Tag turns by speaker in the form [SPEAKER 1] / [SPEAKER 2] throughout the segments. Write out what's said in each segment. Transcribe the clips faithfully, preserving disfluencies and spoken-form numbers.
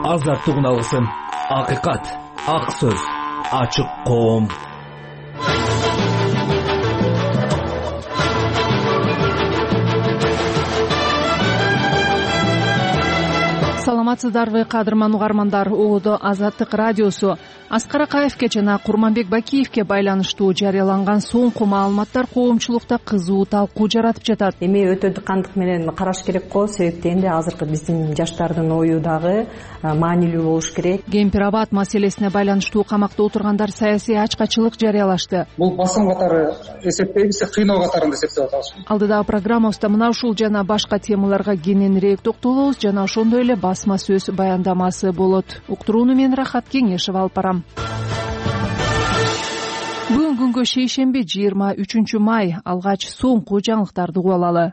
[SPEAKER 1] азаттыгын алгысың. Акыйкат, ак сөз, ачык коом.
[SPEAKER 2] Саламатсыздарбы, кадырман угармандар. Оодо Азаттык радиосу. Аскар Акаевке жана Курманбек Бакиевке байланыштуу жарыяланган соңку маалыматтар коомчулукта кызуу талкуу жаратып жатат.
[SPEAKER 3] Эми өтө кандык менен караш керек го, себептен энди азыркы биздин жаштардын ою дагы маанилүү болуш керек.
[SPEAKER 2] Кемпир-абад маселесине байланыштуу камакта отургандар саясий ачкачылык жарыялашты.
[SPEAKER 4] Бул басым катары эсептейбиз, кыйноо катарында эсептеп атабыз.
[SPEAKER 2] Алдыдагы программабызда мына ушул жана башка темаларга кененирээк токтолобуз жана ошондой эле басма сөз баяндамасы болот. Уктурууну мен Рахат Кеңешев алып барам. Бүгүн күнгө шейшемби жыйырма үчүнчү май. Алгач соңку жаңылыктарды угуп алалы.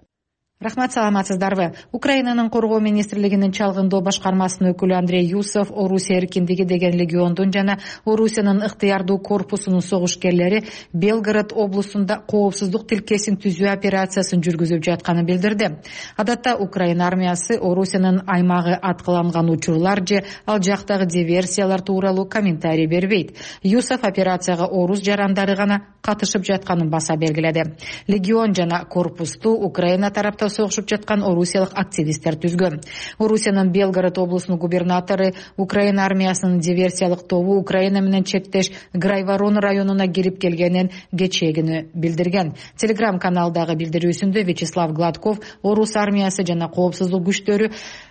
[SPEAKER 5] Рахмат, саламатсыздарбы. Украинанын коргоо министрлигинин чалгындоо башкармасынын өкүлү Андрей Юсов Орусия эркиндиги деген легиондун жана Орусиянын ыктыярдуу корпусунун согушкерлери Белгород облусунда коопсуздук тилкесин түзүү операциясын жүргүзүп жатканын билдирди. Адатта Украина армиясы Орусиянын аймагы аткыланган учурлар же ал жактагы диверсиялар тууралуу комментарий бербейт. Юсов операцияга орус жарандары гана катышып жатканын баса белгиледи. Легион жана корпусту Украина тарапта согушуп жаткан орусиялык активисттер түзгөн. Орусиянын Белгород облусунун губернатору Украина армиясынын диверсиялык тобу Украина менен чектеш Грайворон районуна кирип келгенин кечээкүнү билдирген. Телеграм каналдагы билдирүүсүндө Вячеслав Гладков орус армиясы жана коопсуздук күчтөрү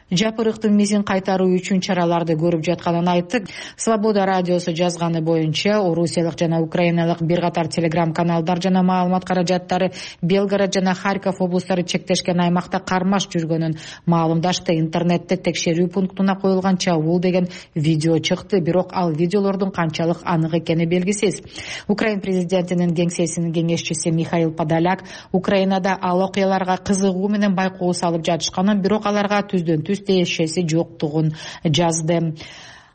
[SPEAKER 5] жапырыктын мизин кайтаруу үчүн чараларды көрүп жатканын айтты. Свобода радиосу жазганы боюнча орусиялык жана украиналык бир катар телеграм каналдар жана маалымат каражаттары Белгород жана Харьков облустары чектешкен аймакта кармаш жүргөнүн маалымдашты. Интернетте текшерүү пунктуна коюлган чабуул деген видео чыкты, бирок ал видеолордун канчалык анык экени белгисиз. Украин президентинин кеңсесинин кеңешчиси Михаил Подоляк Украинада ал окуяларга кызыгуу менен байкоо салып жатышканын, бирок аларга түздөн түз тиешеси жоктугун жазды.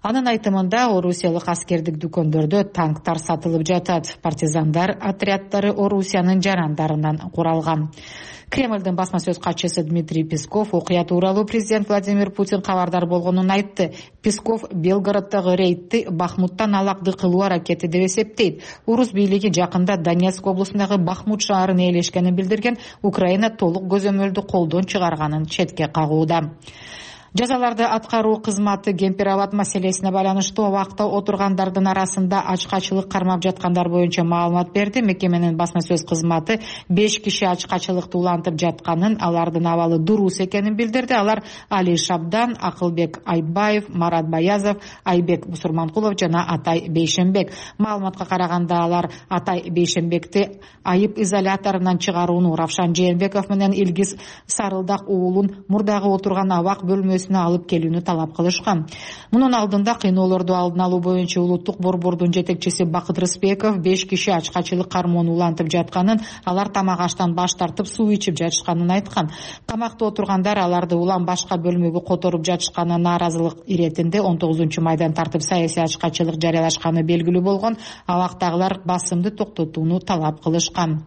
[SPEAKER 5] Анын айтымында орусиялык аскердик дүкөндөрдө танктар сатылып жатат. Партизандар отряддары Орусиянын жарандарынан куралган. Кремлдин басма сөз катчысы Дмитрий Песков окуя тууралуу президент Владимир Путин кабардар болгонун айтты. Песков Белгороддогу рейдти Бахмуттан алакты кылуу аракети деп эсептейт. Орус бийлиги жакында Донецк облусундагы Бахмут шаарын ээлешкенин билдирген. Украина толук көзөмөлдү колдон чыгарганын четке кагууда. Жазаларды аткаруу кызматы Кемпир-абад маселесине байланыштуу абакта отургандардын арасында ачкачылык кармап жаткандар боюнча маалымат берди. Мекеменин басма сөз кызматы беш киши ачкачылыкты улантып жатканын, алардын абалы дурус экенин билдирди. Алар Али Шабдан, Акылбек Айбаев, Марат Баязов, Айбек Бусурманкулов жана Атай Бейшенбек. Маалыматка караганда алар Атай Бейшенбекти айып изоляторунан чыгарууну, Равшан Жээнбеков менен Илгиз Сарылдак уулун мурдагы отурган абак бөлмөсүнө алып келүүнү талап кылышкан. Мунун алдында кыйноолорду алдын алуу боюнча улуттук борбордун жетекчиси Бакыт Рыспеков беш киши ачкачылык кармоону улантып жатканын, алар тамак аштан баш тартып суу ичип жатышканын айткан. Камакта отургандар аларды улам башка бөлмөгө которуп жатышканына нааразылык иретинде он тогузунчу майдан тартып саясий ачкачылык жарыялашканы белгилүү болгон. Абактагылар басымды токтотууну талап кылышкан.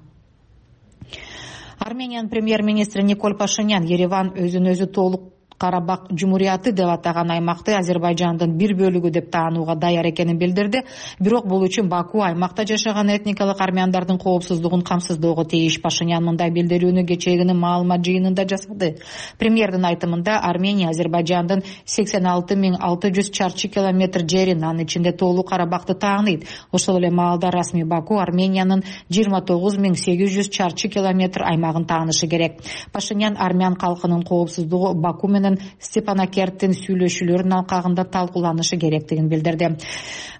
[SPEAKER 5] Армениянын премьер-министри Никол Пашинян Ереван өзүн өзү толук Карабак Жумурияты деп атаган аймакты Азербайжандын бир бөлүгү деп таанууга даяр экенин билдирди. Бирок бул үчүн Баку аймакта жашаган этникалык армяндардын коопсуздугун камсыздоого тийиш. Пашинян мындай билдирүүнү кечээкүнү маалымат жыйынында жасады. Премьердин айтымында Армения Азербайжандын сексен алты миң алты жүз чарчы километр жерин, анын ичинде Тоолуу Карабакты тааныйт. Ошол эле маалда расмий Баку Армениянын жыйырма тогуз миң сегиз жүз чарчы километр аймагын таанышы керек. Пашинян армян калкынын коопсуздугу Баку менен Степанакерттин сүйлөшүүлөрүнүн алкагында талкууланышы керектигин билдирди.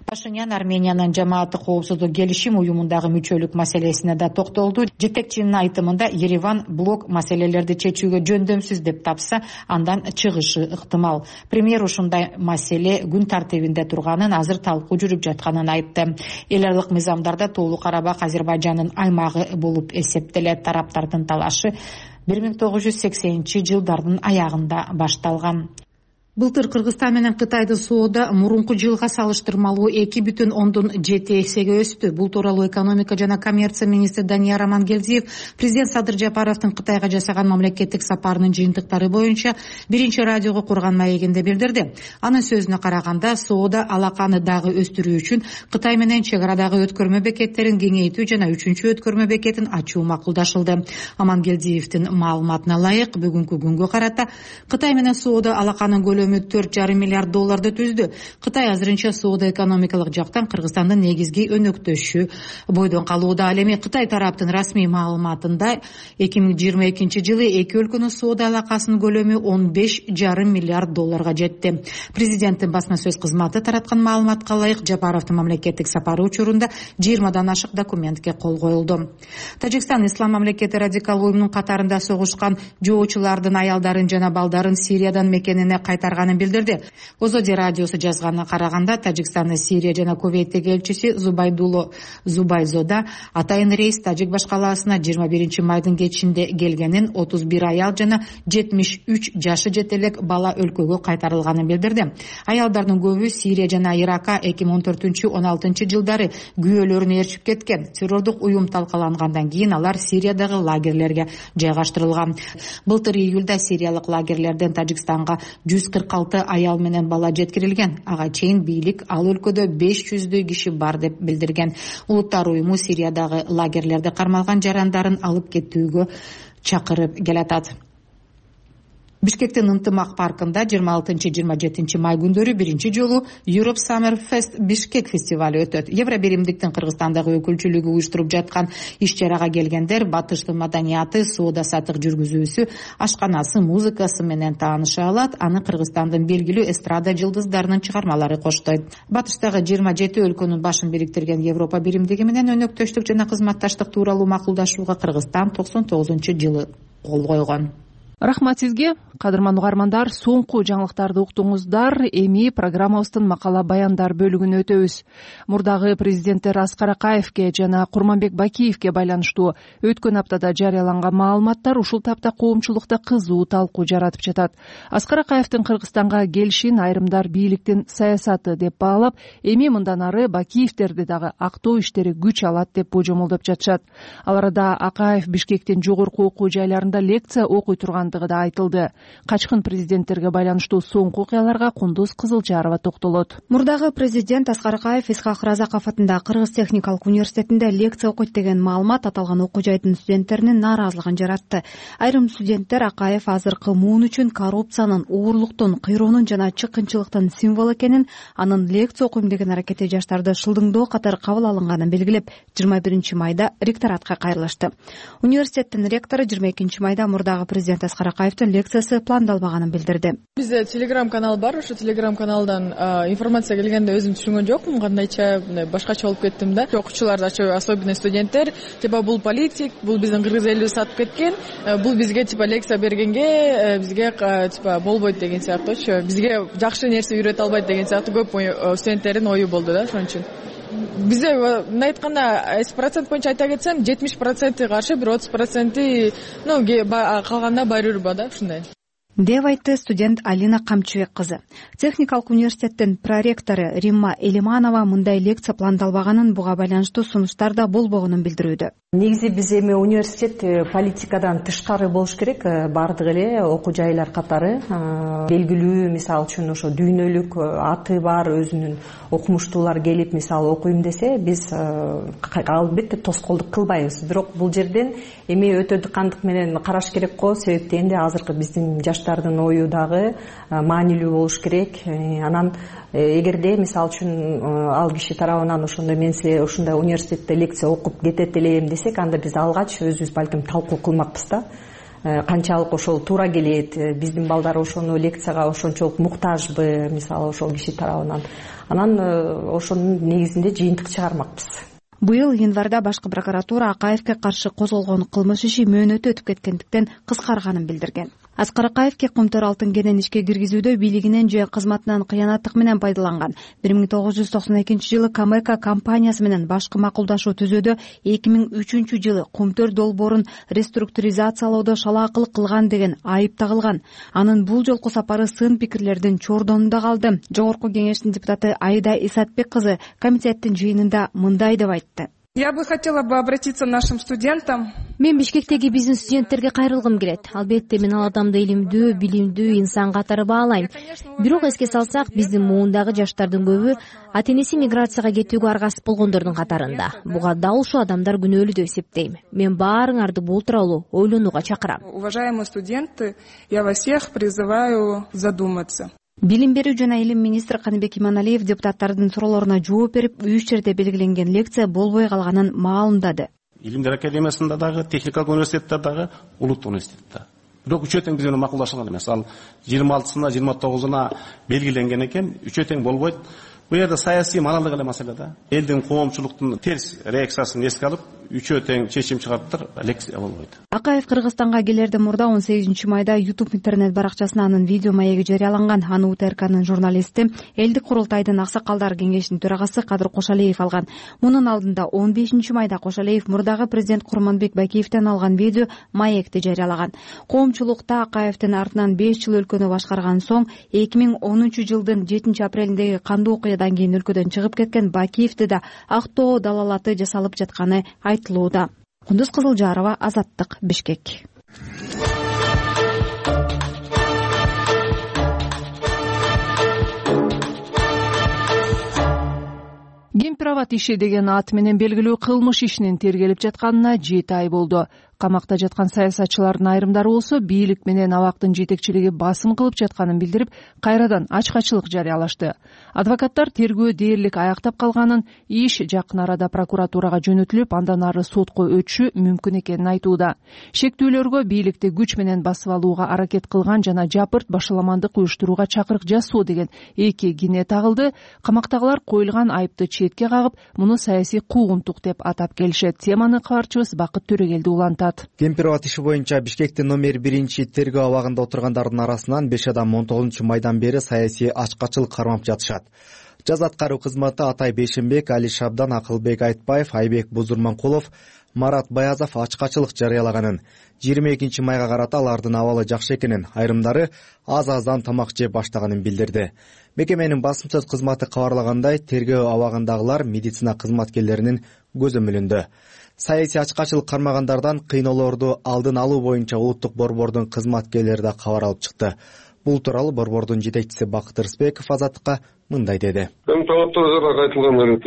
[SPEAKER 5] Пашинян Армениянын жамааты коопсуздук келишим уюмундагы мүчөлүк маселесине да токтолду. Жетекчинин айтымында Ереван блок маселелерди чечүүгө жөндөмсүз деп тапса, андан чыгышы ыктымал. Премьер ушундай маселе күн тартибинде турганын, азыр талкуу жүрүп жатканын айтты. Эл аралык мыйзамдарда Тоолуу Карабак Азербайжандын аймагы болуп эсептелет. Тараптардын талашы бир миң тогуз жүз сексенинчи жылдардын аягында башталган. Былтыр Кыргызстан менен Кытайдын соода мурунку жылга салыштырмалуу эки бүтүн ондон жети эсеге өстү. Бул тууралуу экономика жана коммерция министри Данияр Амангелдиев президент Садыр Жапаровдун Кытайга жасаган мамлекеттик сапарынын жыйынтыктары боюнча биринчи радиого курган маегинде билдирди. Анын сөзүнө караганда, соода алаканы дагы өстүрүү үчүн Кытай менен чек арадагы өткөрмө бекеттерин кеңейтүү жана үчүнчү өткөрмө бекетин ачуу макулдашылды. Амангелдиевдин маалыматына ылайык, бүгүнкү күнгө карата Кытай менен соода алаканын көлөмү төрт жарым миллиард долларды түздү. Кытай азырынча соода экономикалык жактан Кыргызстандын негизги өнөктөшү бойдон калууда. Ал эми Кытай тараптын расмий маалыматында эки миң жыйырма экинчи жылы эки өлкөнүн соода алакасынын көлөмү он беш жарым миллиард долларга жетти. Президенттин басма сөз кызматы тараткан маалыматка ылайык, Жапаровдун мамлекеттик сапары учурунда жыйырмадан ашык документке кол коюлду. Тажикстан Ислам мамлекети радикал уюмунун катарында согушкан жоочулардын аялдарын жана балдарын Сириядан мекенине кайтарганын билдирди. Озоди радиосу жазганына караганда, Тажикстандын Сирия жана Кувейттеги элчиси Зубайдуло Зубайзода атайын рейс Тажик баш калаасына жыйырма биринчи майдын кечинде келгенин, отуз бир аял жана жетимиш үч жашы жете элек бала өлкөгө кайтарылганын билдирди. Аялдардын көбү Сирия жана Иракка эки миң он төртүнчү он алтынчы жылдары күйөөлөрүн ээрчип кеткен. Террордук уюм талкалангандан кийин алар Сириядагы лагерлерге жайгаштырылган. Былтыр июлда сириялык лагерлерден Тажикстанга жүз кырк алты аял менен бала жеткирилген. Ага чейин бийлик ал өлкөдө беш жүздөй киши бар деп билдирген. Улуттар уюму Сириядагы лагерлерде кармалган жарандарын алып кетүүгө чакырып келатат. Бишкектин Ынтымак паркында жыйырма алтынчы жыйырма жетинчи май күндөрү биринчи жолу Europe Summer Fest Бишкек фестивалю өтөт. Евробиримдиктин Кыргызстандагы өкүлчүлүгү уюштуруп жаткан иш-чарага келгендер батыштын маданияты, соода саттык жүргүзүүсү, ашканасы, музыкасы менен тааныша алат. Аны Кыргызстандын белгилүү эстрада жылдыздарынын чыгармалары коштойт. Батыштагы жыйырма жети өлкөнүн башын бириктирген Европа биримдиги менен өнөктөштүк жана кызматташтык тууралуу макулдашууга Кыргызстан токсон тогузунчу жылы кол койгон.
[SPEAKER 2] Рахмат сизге, кадырман угармандар. Соңку жаңылыктарды уктуңуздар. Эми программабыздын макала баяндар бөлүгүнө өтөбүз. Мурдагы президенттер Аскар Акаевке жана Курманбек Бакиевке байланыштуу өткөн аптада жарыяланган маалыматтар ушул тапта коомчулукта кызуу талкуу жаратып жатат. Аскар Акаевдин Кыргызстанга келишин айрымдар бийликтин саясаты деп баалап, эми мындан ары Бакиевдерди дагы актоо иштери күч алат деп божомолдоп жатышат. Ал арада Акаев Бишкектин жогорку окуу жайларында лекция окуй турган да айтылды. Качкын президенттерге байланыштуу соңку окуяларга Кундуз Кызылжарова токтолот.
[SPEAKER 6] Мурдагы президент Аскар Акаев Исхак Разаков атындагы Кыргыз техникалык университетинде лекция окуйт деген маалымат аталган окуу жайдын студенттеринин нааразылыгын жаратты. Айрым студенттер Акаев азыркы муун үчүн коррупциянын, уурлуктун, кыйроонун жана чыккынчылыктын символу экенин, анын лекция окуйм деген аракети жаштарды шылдыңдоо катары кабыл алынганын белгилеп, жыйырма биринчи майда ректоратка кайрылышты. Университеттин ректору жыйырма экинчи майда мурдагы президент Аскар Акаевдин лекциясы пландалбаганын билдирди.
[SPEAKER 7] Бизде телеграм канал бар, ошо телеграм каналдан информация келгенде өзүм түшүнгөн жокмун, кандайча башкача болуп кеттим да. Окуучулар, особенно студенттер, типа бул политик, бул биздин кыргыз элибиз сатып кеткен, бул бизге типа лекция бергенге бизге типа болбойт деген сыяктуучу, бизге жакшы нерсе үйрөтө албайт деген сыяктуу көп студенттердин ою болду да, ошон үчүн. Бизде мындай айтканда процент боюнча айта кетсем, жетимиш проценти каршы, бир отуз проценти ну калганда байырба да, ушундай
[SPEAKER 6] деп айтты студент Алина Камчыбек кызы. Техникалык университеттин проректору Римма Элиманова мындай лекция пландалбаганын, буга байланыштуу сунуштар да болбогонун билдирүүдө.
[SPEAKER 3] Негизи биз эми университет политикадан тышкары болуш керек, бардык эле окуу жайлар катары белгилүү, мисалы үчүн ошо дүйнөлүк аты бар өзүнүн окумуштуулар келип мисалы окуйм десе, биз албетте тоскоолдук кылбайбыз. Бирок бул жерден эми өтө дыкандык менен караш керек го, себептен дегенде азыркы биздин жаштардын ою дагы маанилүү болуш керек. Анан эгерде мисалы үчүн ал киши тарабынан ошондой мен силе ушундай университетте лекция окуп кетет элем десек, анда биз алгач өзүбүз балким талкуу кылмакпыз да. Канчалык ошол туура келет, биздин балдар ошону лекцияга ошончолук муктажбы, мисалы ошол киши тарабынан. Анан ошонун негизинде жыйынтык чыгармакпыз.
[SPEAKER 6] Быйыл январда башкы прокуратура Акаевке каршы козголгон кылмыш иши мөөнөтү өтүп кеткендиктен кыскарганын билдирген. Аскар Акаевке Кумтөр алтын кенен ишке киргизүүдө бийлигинен же кызматынан кыянаттык менен пайдаланган. бир миң тогуз жүз токсон экинчи жылы Камека компаниясы менен башкы макулдашуу түзүүдө эки миң үчүнчү жылы Кумтөр долбоорун реструктуризациялоодо шалаакылык кылган деген айып тагылган. Анын бул жолку сапары сын пикирлердин чордонунда калды. Жогорку кеңештин депутаты Айда Исатбек кызы комитеттин жыйынында мындай деп айтты.
[SPEAKER 8] Я бы хотела бы обратиться к нашим студентам.
[SPEAKER 9] Мен Бишкектеги биздин студенттерге кайрылгым келет. Албетте мен ал адамды илимдүү, билимдүү инсан катары баалайм. Бирок эске салсак, биздин муундагы жаштардын көбү ата-энеси миграцияга кетүүгө аргасыз болгондордун катарында. Буга дал ушул адамдар күнөөлүү деп эсептейм. Мен баарыңарды бул тууралуу ойлонууга чакырам.
[SPEAKER 8] Уважаемые студенты, я вас всех призываю задуматься.
[SPEAKER 6] Билим берүү жана илим министри Каныбек Иманалиев депутаттардын суроолоруна жооп берип, үч жерде белгиленген лекция болбой калганын маалымдады.
[SPEAKER 10] Илимдер академиясында дагы, техникалык университетте дагы, улуттук университетте. Бирок үчөө тең биз менен макулдашылган эмес. Ал жыйырма алтысына, жыйырма тогузуна белгиленген экен, үчөө тең болбойт. Бул жерде саясий моралдык эле маселе да. Элдин коомчулуктун терс реакциясын эске алып, үчөө тең чечим чыгарыптыр, лекция болбойт.
[SPEAKER 6] Акаев Кыргызстанга келерде мурда он сегизинчи майда YouTube интернет баракчасына анын видео маеги жарыяланган. Аны УТРКнын журналисти, Элдик курултайдын аксакалдар кеңешинин төрагасы Кадыр Кошалиев алган. Мунун алдында он бешинчи майда Кошалиев мурдагы президент Курманбек Бакиевден алган видео маекти жарыялаган. Коомчулукта Акаевдин артынан беш жыл өлкөнү башкарган соң эки миң онунчу жылдын жетинчи апрелиндеги кандуу окуядан кийин өлкөдөн чыгып кеткен Бакиевди да актоо далалаты жасалып жатканы айтылууда. Кундуз Кызылжарова, Азаттык, Бишкек.
[SPEAKER 2] Кемпирабад иши деген ат менен белгилүү кылмыш ишинин тергелип жатканына жети ай болду. Камакта жаткан саясатчылардын айрымдары болсо бийлик менен абактын жетекчилиги басым кылып жатканын билдирип, кайрадан ачкачылык жарыялашты. Адвокаттар тергөө дээрлик аяктап калганын, иш жакын арада прокуратурага жөнөтүлүп, андан ары сотко өтүшү мүмкүн экенин айтууда. Шектүүлөргө бийликти күч менен басып алууга аракет кылган жана жапырт башаламандык уюштурууга чакырык жасоо деген эки кине тагылды. Камактагылар коюлган айыпты четке кагып, муну саясий куугунтук деп атап келишет. Теманы кабарчыбыз Бакыт Төрөгелди улантат.
[SPEAKER 11] Кемпирабад иши боюнча Бишкектин номер биринчи тергөө абагында отургандардын арасынан беш адам он тогузунчу майдан бери саясий ачкачылык кармап жатышат. Жаз аткаруу кызматы Атай Бейшенбек, Али Шабдан, Акылбек Айтбаев, Айбек Бузурманкулов, Марат Баязов ачкачылык жарыялаганын, жыйырма экинчи майга карата алардын абалы жакшы экенин, айрымдары аз-аздан тамак жеп баштаганын билдирди. Мекеменин басым сөз кызматы кабарлагандай, тергөө абагындагылар медицина кызматкерлеринин көзөмөлүндө. Саясий ачкачылык кармагандардан кыйноолорду алдын алуу боюнча улуттук борбордун кызматкерлери да кабар алып чыкты. Бул тууралуу борбордун жетекчиси Бакыт Рыспеков Азаттыкка мындай деди.
[SPEAKER 12] Талаптарга айтылган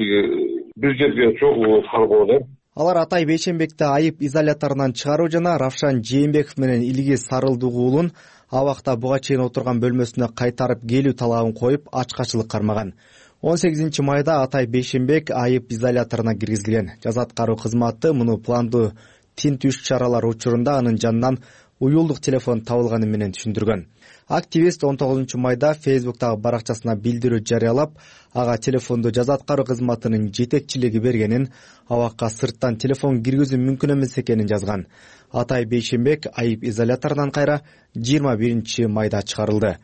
[SPEAKER 12] бир жерге чогуу каргоо.
[SPEAKER 11] Алар Атай Бейшенбекти айып изоляторунан чыгаруу жана Равшан Жээнбеков менен Илгиз Сарылдуу уулун абакта буга чейин отурган бөлмөсүнө кайтарып келүү талабын коюп ачкачылык кармаган. он сегизинчи майда Атай Бейшенбек айып изоляторуна киргизилген. Жаз аткаруу кызматы муну пландуу тинтүү чаралар учурунда анын жанынан уюлдук телефон табылганы менен түшүндүргөн. Активист он тогузунчу майда Фейсбуктагы баракчасына билдирүү жарыялап, ага телефонду жаз аткаруу кызматынын жетекчилиги бергенин, абакка сырттан телефон киргизүү мүмкүн эмес экенин жазган. Атай Бейшенбек айып изоляторунан кайра жыйырма биринчи майда чыгарылды.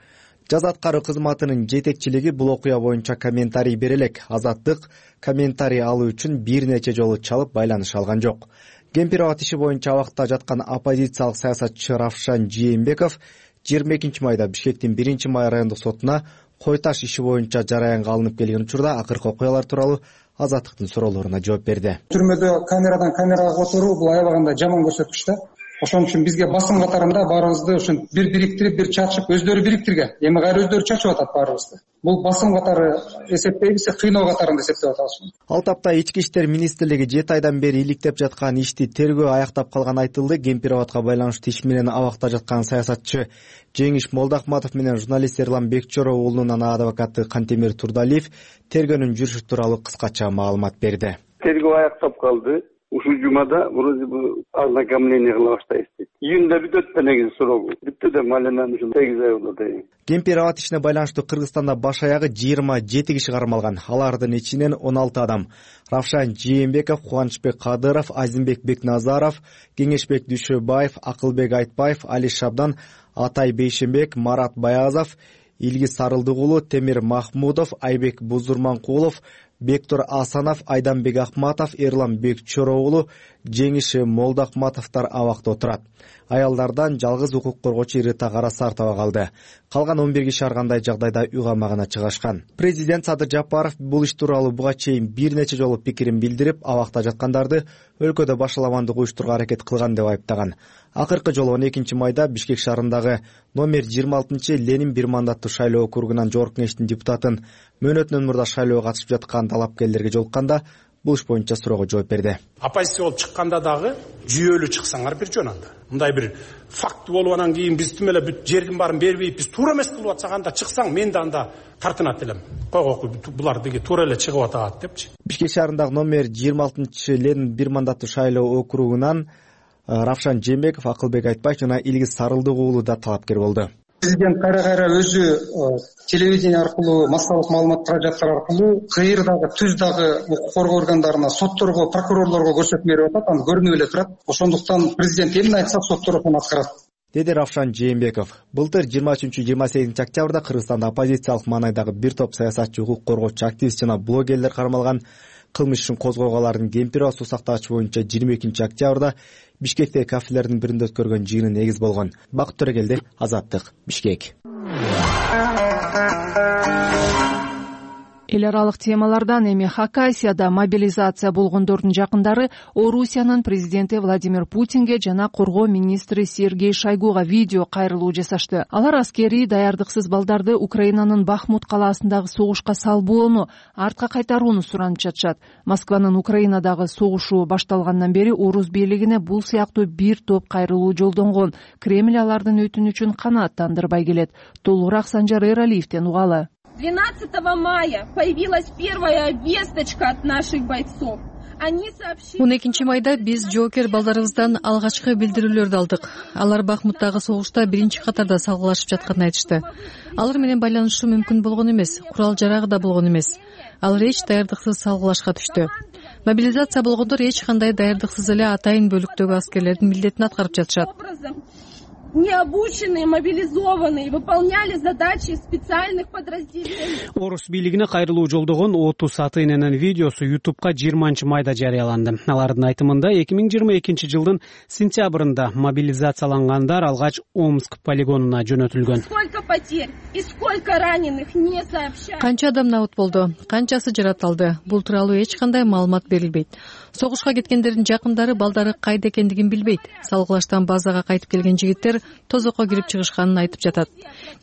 [SPEAKER 11] Жаз аткаруу кызматынын жетекчилиги бул окуя боюнча комментарий бере элек. Азаттык комментарий алуу үчүн бир нече жолу чалып байланыш алган жок. Кемпирабад иши боюнча абакта жаткан оппозициялык саясатчы Равшан Жээнбеков жыйырма экинчи майда Бишкектин биринчи май райондук сотуна кой таш иши боюнча жараянга алынып келген учурда акыркы окуялар тууралуу Азаттыктын суроолоруна жооп берди.
[SPEAKER 4] Түрмөдө камерадан камерага отуруу бул аябаганда жаман көрсөткүч да. Ошон үчүн бизге басым катарында баарыбызды ушин бир бириктирип, бир чачып, өздөрү бириктирген. Эми кайра өздөрү чачып атат баарыбызды. Бул басым катары эсептейбиз, кыйноо катарында эсептеп атабыз.
[SPEAKER 11] Ал тапта Ички иштер министрлиги жети айдан бери иликтеп жаткан ишти тергөө аяктап калган айтылды. Кемпирабадка байланыштуу иш менен абакта жаткан саясатчы Жеңиш Молдахматов менен журналист Эрлан Бекчоров уулунун ана адвокаты Кантемир Турдалиев тергөөнүн жүрүшү тууралуу кыскача маалымат берди.
[SPEAKER 12] Тергөө аяктап калды. ушул жумада вроде бы ознакомление кыла баштайбыз дейт. Июнда бүтөт да негизи срогу. Бүттү да маленен ушул сегиз ай болот эми.
[SPEAKER 11] Кемпир аба ишине байланыштуу Кыргызстанда баш аягы жыйырма жети киши кармалган. Алардын ичинен он алты адам. Равшан Жээнбеков, Кубанычбек Кадыров, Азимбек Бекназаров, Кеңешбек Дүйшөбаев, Акылбек Айтбаев, Али Шабдан, Атай Бейшенбек, Марат Баязов, Илгиз Сарылдыгулу, Темир Махмудов, Айбек Бузурманкулов, Бектур Асанов, Айданбек Акматов, Эрлан Бекчороогулу, Жеңиши Молдакматовдор абакта отурат. Аялдардан жалгыз укук коргоочу Рита Карасартова калды. Калган он бир киши ар кандай жагдайда үй камагына чыгышкан. Президент Садыр Жапаров бул иш тууралуу буга чейин бир нече жолу пикирин билдирип, абакта жаткандарды өлкөдө башаламандык уюштурууга аракет кылган деп айыптаган. Акыркы жолу он экинчи майда Бишкек шаарындагы номер жыйырма алтынчы Ленин бир мандаттуу шайлоо округунан жогорку кеңештин депутатын мөөнөтүнөн мурда шайлоого катышып жаткан талапкерлерге жолукканда бул иш боюнча суроого жооп берди.
[SPEAKER 13] Оппозиция болуп чыкканда дагы жүйөлүү чыксаңар бир жөн анда. Мындай бир факт болуп анан кийин биз тим эле бүт жердин баарын бербейт, биз туура эмес кылып атсак анда чыксаң мен да анда тартынат элем. Койгоку булар деги туура эле чыгып атат депчи.
[SPEAKER 11] Бишкек шаарындагы номер жыйырма алтынчы Ленин бир мандаттуу шайлоо округунан Равшан Жээнбеков, Акылбек Айтбаев жана Илгиз Сарылдыгулу да талапкер болду.
[SPEAKER 4] Президент кайра кайра өзү телевидение аркылуу, массалык маалымат каражаттар аркылуу кыйыр дагы, түз дагы укук коргоо органдарына, сотторго, прокурорлорго көрсөтмө берип атат, аны көрүнүп эле турат. Ошондуктан президент эмне айтса соттор ошону аткарат,
[SPEAKER 11] деди Равшан Жээнбеков. Былтыр жыйырма үчүнчү жыйырма сегизинчи октябрда Кыргызстанда оппозициялык маанайдагы бир топ саясатчы, укук коргоочу, активист жана блогерлер кармалган. Кылмыш ишин козгоого алардын кемпири суу сактагыч боюнча жыйырма экинчи октябрда Бишкектеги кафелердин биринде өткөргөн жыйыны негиз болгон. Бакыт Төрөгелди, Азаттык, Бишкек.
[SPEAKER 2] Эл аралык темалардан эми Хакасияда мобилизация болгондордун жакындары Орусиянын президенти Владимир Путинге жана коргоо министри Сергей Шойгуга видео кайрылуу жасашты. Алар аскерий даярдыксыз балдарды Украинанын Бахмут калаасындагы согушка салбоону, артка кайтарууну суранып жатышат. Москванын Украинадагы согушу башталгандан бери орус бийлигине бул сыяктуу бир топ кайрылуу жолдонгон. Кремль алардын өтүнүчүн канааттандырбай келет. Толугураак Санжар Эралиевден угалы.
[SPEAKER 14] двенадцатого мая появилась первая весточка от наших бойцов.
[SPEAKER 15] он экинчи майда биз жоокер балдарыбыздан алгачкы билдирүүлөрдү алдык. Алар Бахмуттагы согушта биринчи катарда салгылашып жатканын айтышты. Алар менен байланышуу мүмкүн болгон эмес, курал жарагы да болгон эмес. Алар эч даярдыксыз салгылашка түштү. Мобилизация болгондор эч кандай даярдыксыз эле атайын бөлүктөгү аскерлердин милдетин аткарып жатышат.
[SPEAKER 14] Необученные, мобилизованные, выполняли задачи специальных подразделений.
[SPEAKER 16] Орус бийлигине кайрылуу жолдогон отуз аты-эненин видеосу ютубка жыйырманчы майда жарыяланды. Алардын айтымында эки миң жыйырма экинчи жылдын сентябрында мобилизациялангандар алгач Омск полигонуна жөнөтүлгөн.
[SPEAKER 14] Сколько потерь и сколько раненых не сообщают.
[SPEAKER 15] Канча адам набыт болду, канчасы жаратылды. Бул тууралуу эч кандай маалымат берилбейт. Согушка кеткендердин жакындары балдары кайда экендигин билбейт. Салгылаштан базага кайтып келген жигиттер тозокко кирип чыгышканын айтып жатат.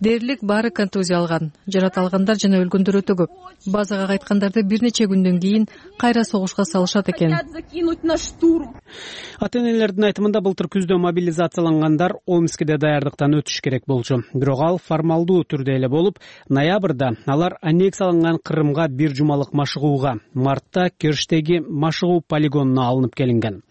[SPEAKER 15] Дээрлик баары контузия алган. Жаратылгандар жана өлгөндөр өтө көп. Базага кайткандарды бир нече күндөн кийин кайра согушка салышат экен.
[SPEAKER 16] Ата-энелердин айтымында былтыр күздө мобилизациялангандар Омскиде даярдыктан өтүш керек болчу. Бирок ал формалдуу түрдө эле болуп, ноябрда алар аннексияланган Крымга бир жумалык машыгууга, мартта Керчтеги машыгуу полигонуна алынып келинген.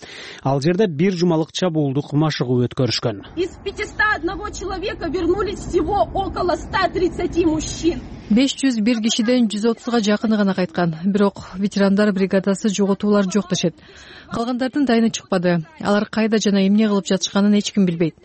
[SPEAKER 16] Ал жерде бир жумалык чабуулдук машыгуу өткөрүшкөн.
[SPEAKER 14] Из пятисот одного человека вернулись всего около ста тридцати мужчин.
[SPEAKER 15] беш жүз бир кишиден жүз отузга жакыны гана кайткан. Бирок ветерандар бригадасы жоготуулар жок дешет. Калгандардын дайыны чыкпады. Алар кайда жана эмне кылып жатышканын эч ким билбейт.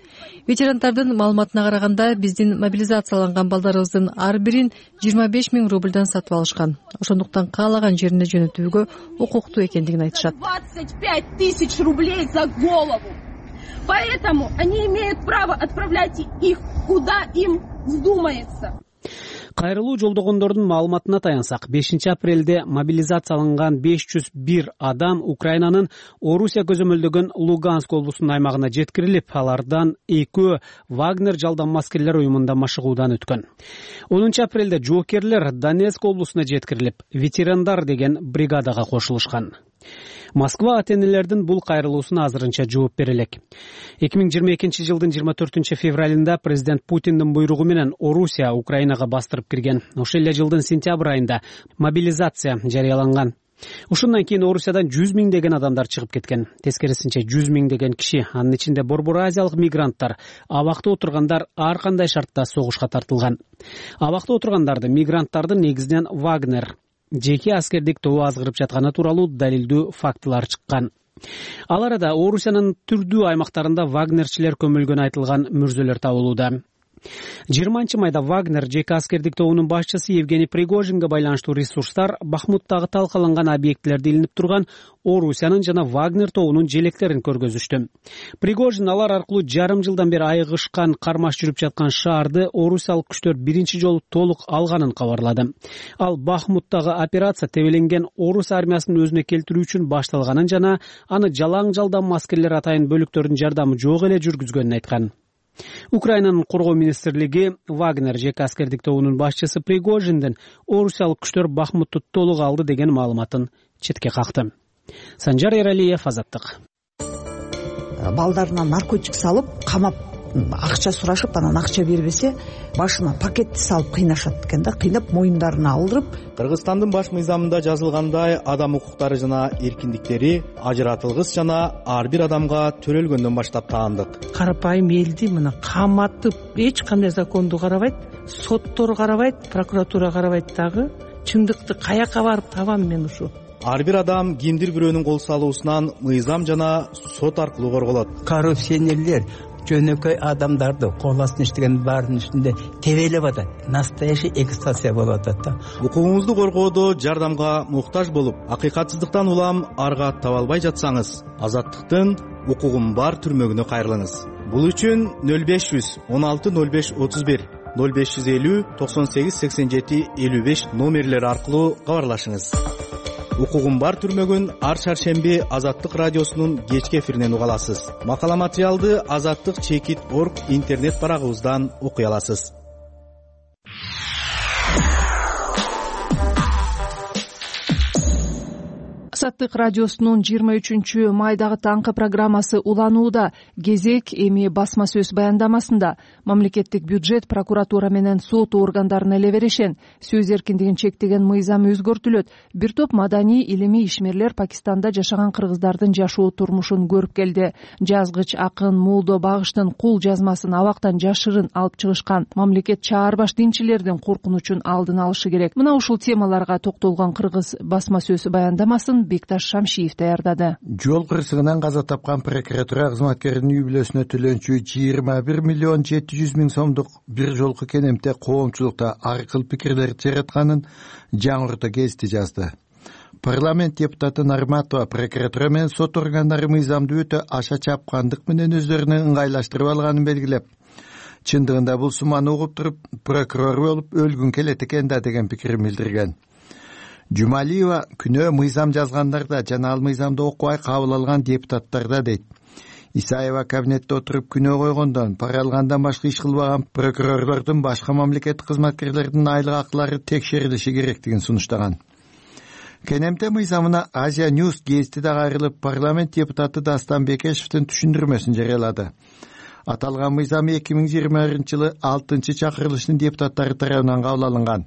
[SPEAKER 15] Ветерандардын маалыматына караганда биздин мобилизацияланган балдарыбыздын ар бирин жыйырма беш миң рубльдан сатып алышкан. Ошондуктан каалаган жерине жөнөтүүгө укуктуу экендигин айтышат.
[SPEAKER 14] двадцать пять тысяч рублей за голову. Поэтому они имеют право отправлять их куда им вздумается.
[SPEAKER 16] Кайрылуу жолдогондордун маалыматына таянсак, бешинчи апрелде мобилизацияланган беш жүз бир адам Украинанын Орусия көзөмөлдөгөн Луганск облусунун аймагына жеткирилип, алардан экөө Вагнер жалданма аскерлер уюмунда машыгуудан өткөн. онунчу апрелде жоокерлер Донецк облусуна жеткирилип, ветерандар деген бригадага кошулушкан. Москва ата-энелердин бул кайрылуусуна азырынча жооп бере элек. эки миң жыйырма экинчи жылдын жыйырма төртүнчү февралында президент Путиндин буйругу менен Орусия Украинага бастырып кирген. Ошол эле жылдын сентябрь айында мобилизация жарыяланган. Ушундан кийин Орусиядан жүз миңдеген адамдар чыгып кеткен. Тескерисинче жүз миңдеген киши, анын ичинде борбор азиялык мигранттар, абакта отургандар ар кандай шартта согушка тартылган. Абакта отургандарды мигранттардын негизинен Вагнер жеке аскердик тобу азгырып жатканы тууралуу далилдүү фактылар чыккан. Ал арада Орусиянын түрдүү аймактарында вагнерчилер көмүлгөнү айтылган мүрзөлөр табылууда. жыйырманчы майда Вагнер жеке аскердик тобунун башчысы Евгений Пригожинге байланыштуу ресурстар Бахмуттагы талкаланган объектилерди илинип турган Орусиянын жана Вагнер тобунун желектерин көргөзүштү. Пригожин алар аркылуу жарым жылдан бери айыгышкан, кармаш жүрүп жаткан шаарды орусиялык күчтөр биринчи жолу толук алганын кабарлады. Ал Бахмуттагы операция тебеленген орус армиясын өзүнө келтирүү үчүн башталганын жана аны жалаң жалдам аскерлер атайын бөлүктөрдүн жардамы жок эле жүргүзгөнүн айткан. Украинанын коргоо министрлиги Вагнер жеке аскердик тобунун башчысы Пригожиндин орусиялык күчтөр Бахмутты толук алды деген маалыматын четке какты. Санжар Эралиев, Азаттык.
[SPEAKER 17] Балдарына наркотик салып, камап, акча сурашып, анан акча бербесе, башына пакетти салып кыйнашат экен да, кыйнап моюндарына алдырып.
[SPEAKER 11] Кыргызстандын баш мыйзамында жазылгандай, адам укуктары жана эркиндиктери ажыратылгыс жана ар бир адамга төрөлгөндөн баштап таандык.
[SPEAKER 18] Карапайым элди мына каматып, эч кандай законду карабайт, соттор карабайт, прокуратура карабайт дагы. Чындыкты каяка барып табам мен ушу?
[SPEAKER 11] Ар бир адам кимдир бирөөнүн кол салуусунан мыйзам жана сот аркылуу корголот.
[SPEAKER 19] Коррупционерлер жөнөкөй адамдарды кол астына иштеген баардын үстүндө тебелеп атат. Настоящий экстация болуп атат да.
[SPEAKER 11] Укугуңузду коргоодо жардамга муктаж болуп, акыйкатсыздыктан улам арга таба албай жатсаңыз, Азаттыктын укугум бар түрмөгүнө кайрылыңыз. Бул үчүн нөл беш жүз он алты нөл беш отуз бир, нөл беш жүз элүү токсон сегиз сексен жети элүү беш номерлери аркылуу кабарлашыңыз. Укугум бар түрмөгүн ар шаршемби Азаттык радиосунун кечки эфиринен уга аласыз. Макала материалды азаттык чекит точка орг интернет барагыбыздан окуй аласыз.
[SPEAKER 2] Азаттык радиосунун жыйырма үчүнчү майдагы таңкы программасы уланууда. Кезек эми басма сөз баяндамасында. Мамлекеттик бюджет, прокуратура менен сот органдарына эле берешен. Сөз эркиндигин чектеген мыйзам өзгөртүлөт. Бир топ маданий, илимий ишмерлер Пакистанда жашаган кыргыздардын жашоо турмушун көрүп келди. Жазгыч акын Молдо Багыштын кул жазмасын абактан жашырын алып чыгышкан. Мамлекет чаарбаш динчилердин коркунучун алдын алышы керек. Мына ушул темаларга токтолгон кыргыз басма сөз баяндамасын Бекташ Шамшиев даярдады.
[SPEAKER 20] Жол кырсыгынан каза тапкан прокуратура кызматкеринин үй бүлөсүнө төлөнчү жыйырма бир миллион жети жүз миң сомдук бир жолку кенемте коомчулукта ар кыл пикирлерди жаратканын жаңырту гезити жазды. Парламент депутаты Нарматова прокуратура менен сот органдары мыйзамды өтө аша чапкандык менен өздөрүнө ыңгайлаштырып алганын белгилеп, чындыгында бул сумманы угуп туруп, прокурор болуп өлгүн келет экен да деген пикирин билдирген. Жумалиева күнөө мыйзам жазгандарда жана ал мыйзамды окубай кабыл алган депутаттарда дейт. Исаева кабинетте отуруп күнөө койгондон, пара алгандан башка иш кылбаган прокурорлордун башка мамлекеттик кызматкерлердин айлык акылары текшерилиши керектигин сунуштаган. Кенемте мыйзамына Азия Ньюс гезити да кайрылып, парламент депутаты Дастан Бекешевдин түшүндүрмөсүн жарыялады. Аталган мыйзам эки миң жыйырма биринчи жылы алтынчы чакырылыштын депутаттары тарабынан кабыл алынган.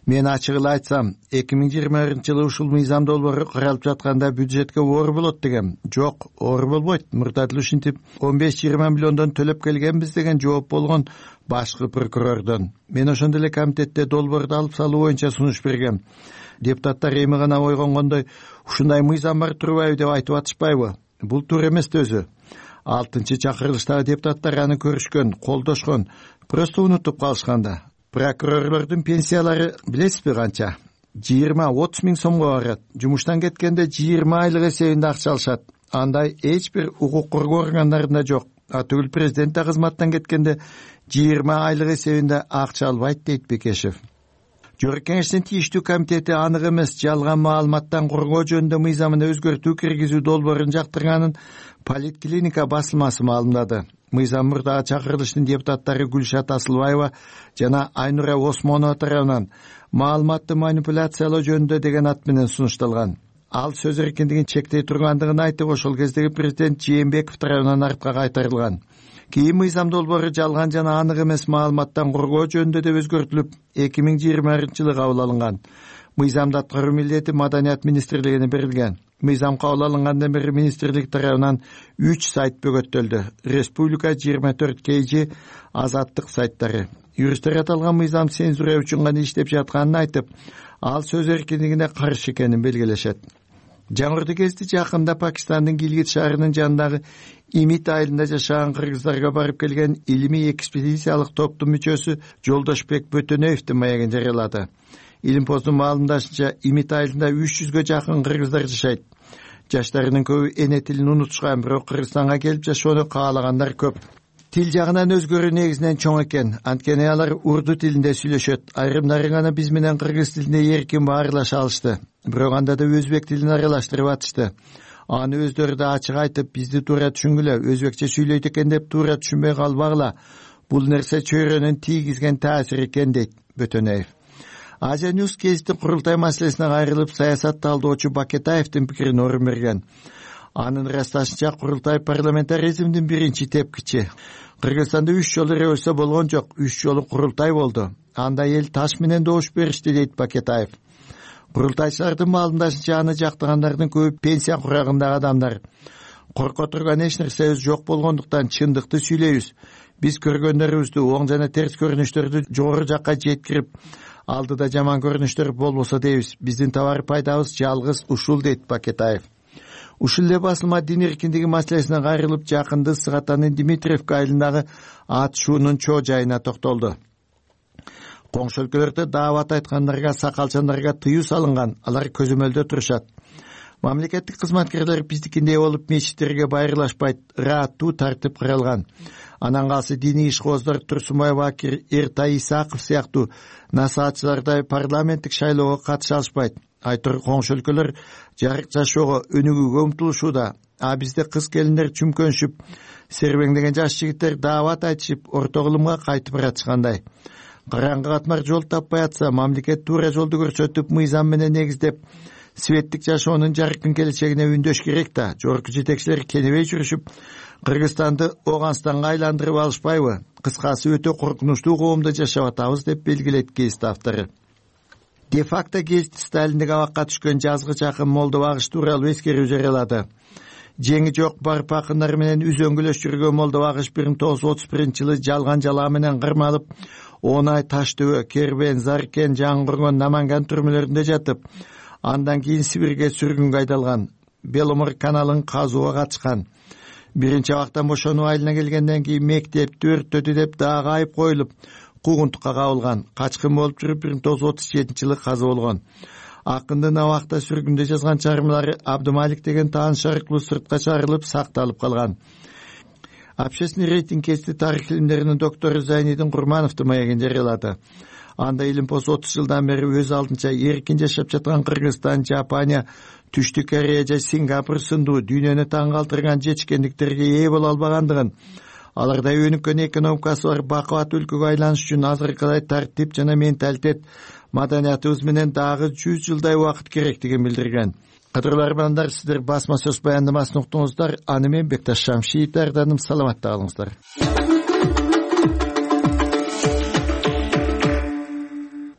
[SPEAKER 20] Мен ачык эле айтсам, эки миң жыйырма биринчи жылы ушул мыйзам долбоору каралып жатканда бюджетке оор болот дегем. Жок, оор болбойт. Мурда деле ушинтип он беш жыйырма миллиондон төлөп келгенбиз деген жооп болгон башкы прокурордон. Мен ошондо эле комитетте долбоорду алып салуу боюнча сунуш бергем. Депутаттар эми гана ойгонгондой, ушундай мыйзам бар турбайбы деп айтып атышпайбы? Бул туура эмес да өзү. алтынчы чакырылыштагы депутаттар аны көрүшкөн, колдошкон, просто унутуп калышканда. Прокурорлордун пенсиялары билесизби канча? жыйырма отуз миң сомго барат. Жумуштан кеткенде жыйырма айлык эсебинде акча алышат. Андай эч бир укук коргоо органдарында жок. А түгүл президент кызматтан кеткенде жыйырма айлык эсебинде акча албайт дейт Бекешев. Жогорку Кеңештин тийиштүү комитети анык эмес жалган маалыматтан коргоо жөнүндө мыйзамына өзгөртүү киргизүү долбоорун жактырганын Политклиника басылмасы маалымдады. Мыйзам мурдагы чакырылыштын депутаттары Гүлшат Асылбаева жана Айнура Осмонова тарабынан маалыматты манипуляциялоо жөнүндө деген ат менен сунушталган. Ал сөз эркиндигин чектей тургандыгын айтып, ошол кездеги президент Жээнбеков тарабынан артка кайтарылган. Кийин мыйзам долбоору жалган жана анык эмес маалыматтан коргоо жөнүндө деп өзгөртүлүп, эки миң жыйырма биринчи жылы кабыл алынган. мыйзамды аткаруу милдети Маданият министрлигине берилген. Мыйзам кабыл алынгандан бери министрлик тарабынан үч сайт бөгөттөлдү. Республика жыйырма төрт кей жи Азаттык сайттары. Юристтер аталган мыйзам цензура үчүн гана иштеп жатканын айтып, ал сөз эркиндигине каршы экенин белгилешет. Жаңырды кезде жакында Пакистандын Гилгит шаарынын жанындагы Имит айылында жашаган кыргыздарга барып келген илимий экспедициялык топтун мүчөсү Жолдошбек Бөтөнөевдин маегин жарыялады. Илимпоздун маалымдашынча, Имит айылында үч жүзгө жакын кыргыздар жашайт. Жаштарынын көбү эне тилин унутушкан, бирок Кыргызстанга келип жашоону каалагандар көп. Тил жагынан өзгөрүү негизинен чоң экен. Анткени алар урду тилинде сүйлөшөт. Айрымдары гана биз менен кыргыз тилинде эркин баарлаша алышты. Бирок анда да өзбек тилин аралаштырып атышты. Аны өздөрү да ачык айтып, бизди туура түшүнгүлө, өзбекче сүйлөйт экен деп туура түшүнбөй калбагыла. Бул нерсе чөйрөнүн тийгизген таасири экен, дейт Бөтөнөев. Азия Ньюс гезиттин курултай маселесине кайрылып, саясат талдоочу Бакетаевдин пикирине орун берген. Анын ырасташынча, курултай парламентаризмдин биринчи тепкичи. Кыргызстанда үч жолу революция болгон жок, үч жолу курултай болду. Анда эл таш менен добуш беришти, дейт Бакетаев. Курултайчылардын маалымдашынча, аны жактагандардын көбү пенсия курагындагы адамдар. Корко турган эч нерсебиз жок болгондуктан чындыкты сүйлөйбүз. Биз көргөндөрүбүздү, оң жана терс көрүнүштөрдү жогору жакка жеткирип, алдыда жаман көрүнүштөр болбосо дейбиз. Биздин табар пайдабыз жалгыз ушул, дейт Бакетаев. Ушул эле басылма дин эркиндиги маселесине кайрылып, жакынды Сыгатанын Димитриевка айылындагы атышуунун чоо жайына токтолду. Коңшу өлкөлөрдө даават айткандарга, сакалчандарга тыюу салынган, алар көзөмөлдө турушат. Мамлекеттик кызматкерлер биздикиндей болуп мечиттерге байырлашпайт, ырааттуу тартип кырылган. Анан калса диний ишкооздор Турсунбай Бакир, Эртай Исаков сыяктуу насаатчылардай парламенттик шайлоого катыша алышпайт. Айтор коңшу өлкөлөр жарык жашоого, өнүгүүгө умтулушууда. А бизде кыз келиндер чүмкөнүшүп, сербеңдеген жаш жигиттер даават айтышып, орто кылымга кайтып баратышкандай. Караңгы катмар жол таппай атса, мамлекет туура жолду көрсөтүп, мыйзам менен негиздеп, светтик жашоонун жаркын келечегине үндөш керек да. Жогорку жетекчилер кенебей жүрүшүп, Кыргызстанды Оганстанга айландырып алышпайбы? Кыскасы, өтө коркунучтуу коомдо жашап атабыз, деп белгилейт гезит автору. Де-факто гезит Сталиндик абакка түшкөн жазгы жакын молдо багыш тууралуу эскерүү жарыялады. Жеңи жок барып акындар менен үзөңгүлөш жүргөн молдо багыш бир миң тогуз жүз отуз биринчи жылы жалган жалаа менен кырмалып, он ай Таштөбө, Кербен, Заркен, Жаңгыргон, Наманган түрмөлөрүндө жатып, андан кийин Сибирге сүргүнгө айдалган. Беломор каналын казууга катышкан. Биринчи абактан бошонуу айылына келгенден кийин мектепти өрттөдү деп дагы айып коюлуп, куугунтукка кабылган. Качкын болуп жүрүп бир миң тогуз жүз отуз жетинчи жылы каза болгон. Акындын абакта сүргүндө жазган чыгармалары Абдымалик деген тааныш аркылуу сыртка чыгарылып, сакталып калган. Общественный рейтинг гезити тарых илимдеринин доктору Зайнидин Курмановдун маегин жарыялады. Анда Илимпоз отуз жылдан бери өз алдынча эркин жашап жаткан Кыргызстан, Жапония, Түштүк Корея же Сингапур сындуу дүйнөнү таң калтырган жетишкендиктерге ээ боло албагандыгын, алардай өнүккөн экономикасы бар бакубат өлкөгө айланыш үчүн азыркыдай тартип жана менталитет, маданиятыбыз менен дагы жүз жылдай убакыт керектигин билдирген. Кадырлуу армандар, сиздер басма сөз баяндамасын уктуңуздар. Аны мен Бекташ Шамшиев даярдадым. Саламатта калыңыздар.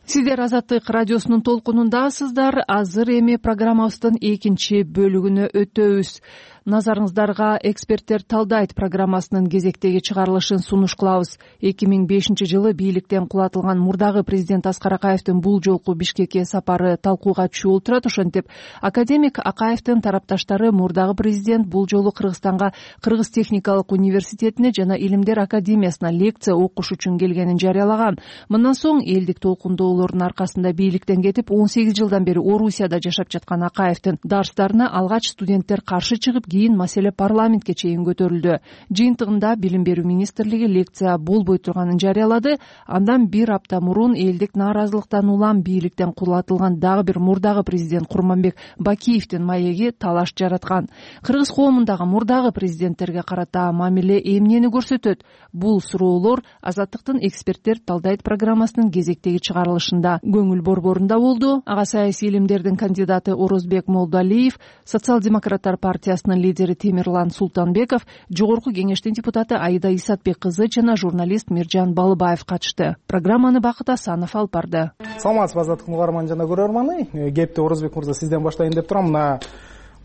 [SPEAKER 2] Сиздер Азаттык радиосунун толкунундасыздар. Азыр эми программабыздын экинчи бөлүгүнө өтөбүз. Назарыңыздарга «Эксперттер талдайт» программасынын кезектеги чыгарылышын сунуш кылабыз. эки миң бешинчи жылы бийликтен кулатылган мурдагы президент Аскар Акаевдин бул жолку Бишкекке сапары талкууга түшүп отурат. Ошентип, академик Акаевдин тарапташтары мурдагы президент бул жолу Кыргызстанга Кыргыз техникалык университетине жана Илимдер академиясына лекция окуш үчүн келгенин жарыялаган. Мындан соң элдик толкундоолордун аркасында бийликтен кетип, он сегиз жылдан бери Орусияда жашап жаткан Акаевдин дарстарына алгач студенттер каршы чыгып, кийин маселе парламентке чейин көтөрүлдү. Жыйынтыгында Билим берүү министрлиги лекция болбой турганын жарыялады. Андан бир апта мурун элдик нааразылыктан улам бийликтен кулатылган дагы бир мурдагы президент Курманбек Бакиевдин маеги талаш жараткан. Кыргыз коомундагы мурдагы президенттерге карата мамиле эмнени көрсөтөт? Бул суроолор Азаттыктын «Эксперттер талдайт» программасынын кезектеги чыгарылышында көңүл борборунда болду. Ага саясий илимдердин кандидаты Орозбек Молдалиев, Социал-демократтар партиясынын лидери Темирлан Султанбеков, жогорку кеңештин депутаты Аида Исатбек кызы жана журналист Миржан Балыбаев катышты. Программаны Бакыт Асанов алып барды.
[SPEAKER 21] Саламатсызбы, азаттык угарман жана көрөрманы. Кепти Орозбек мырза, сизден баштайын деп турам. Мына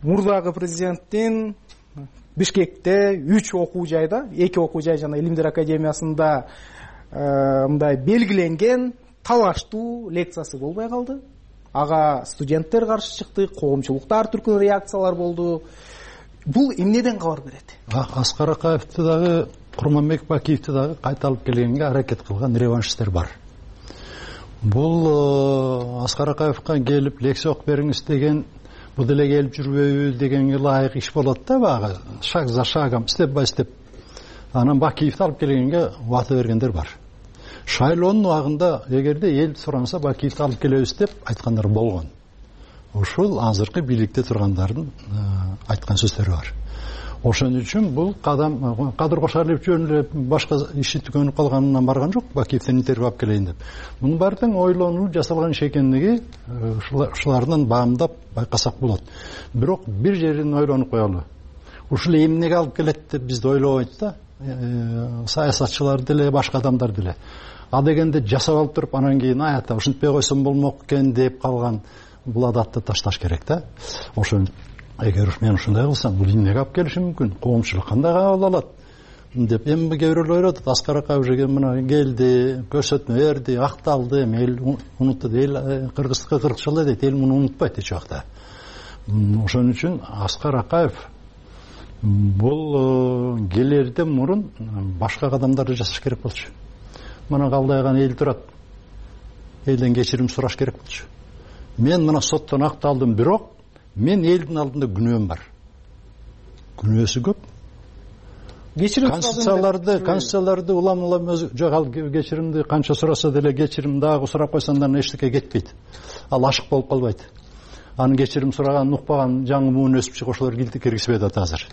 [SPEAKER 21] мурдагы президенттин Бишкекте үч окуу жайда, эки окуу жай жана Илимдер академиясында мындай белгиленген талаштуу лекциясы болбой калды. Ага студенттер каршы чыкты, коомчулукта ар түркүлүү реакциялар болду. Бул эмнеден кабар берет?
[SPEAKER 22] Аскар Акаевди дагы, Курманбек Бакиевди дагы кайталып келгенге аракет кылган реваншисттер бар. Бул Аскар Акаевга келип лекция окуп бериңиз деген, бул деле келип жүрбөйбү дегенге ылайык иш болот да, багы шаг за шагом, степ бай степ. Анан Бакиевди алып келгенге убакыт бергендер бар. Шайлоонун убагында эгерде эл суранса Бакиевди алып келебиз деп айткандар болгон. Ушул азыркы бийликте тургандардын айткан сөздөрү бар. Ошон үчүн бул кадам Кадыр Кошалиев жөн эле башка иши түгөнүп калганынан барган жок, Бакиевден интервью алып келейин деп. Мунун баардыгы ойлонуп жасалган иш экендиги ушулардан баамдап байкасак болот. Бирок бир жерин ойлонуп коелу. Ушул эмнеге алып келет деп бизди ойлобойт да, саясатчылар деле, башка адамдар деле. А дегенде жасап алып туруп, анан кийин аята ушинтпей койсом болмок экен деп калган бул адатты ташташ керек да. Ошон эгер мен ушундай кылсам, бул эмнеге алып келиши мүмкүн? Коомчулук кандай кабыл алат деп эми кээ бирөөлөр ойлоп атат. Аскар Акаев уже мына келди, көрсөтмө берди, акталды, эл унутты, эл кыргыздыкка кырк жыл дейт, эл муну унутпайт эч убакта. Ошон үчүн Аскар Акаев бул келерден мурун башка кадамдарды жасаш керек болчу. Мына калдайган эл турат, элден кечирим сураш керек болчу. Мен мына соттон акталдым, бирок мен элдин алдында күнөөм бар. Күнөөсү көп. Кечирим конституцияларды, конституцияларды улам-улам өзү жок, ал кечиримди канча сураса деле кечирим дагы сурап койсоң да эчтеке кетпейт. Ал ашык болуп калбайт. Анын кечирим сураганын укпаган жаңы муун өсүп чыгып ошолор киргизбейт атат азыр.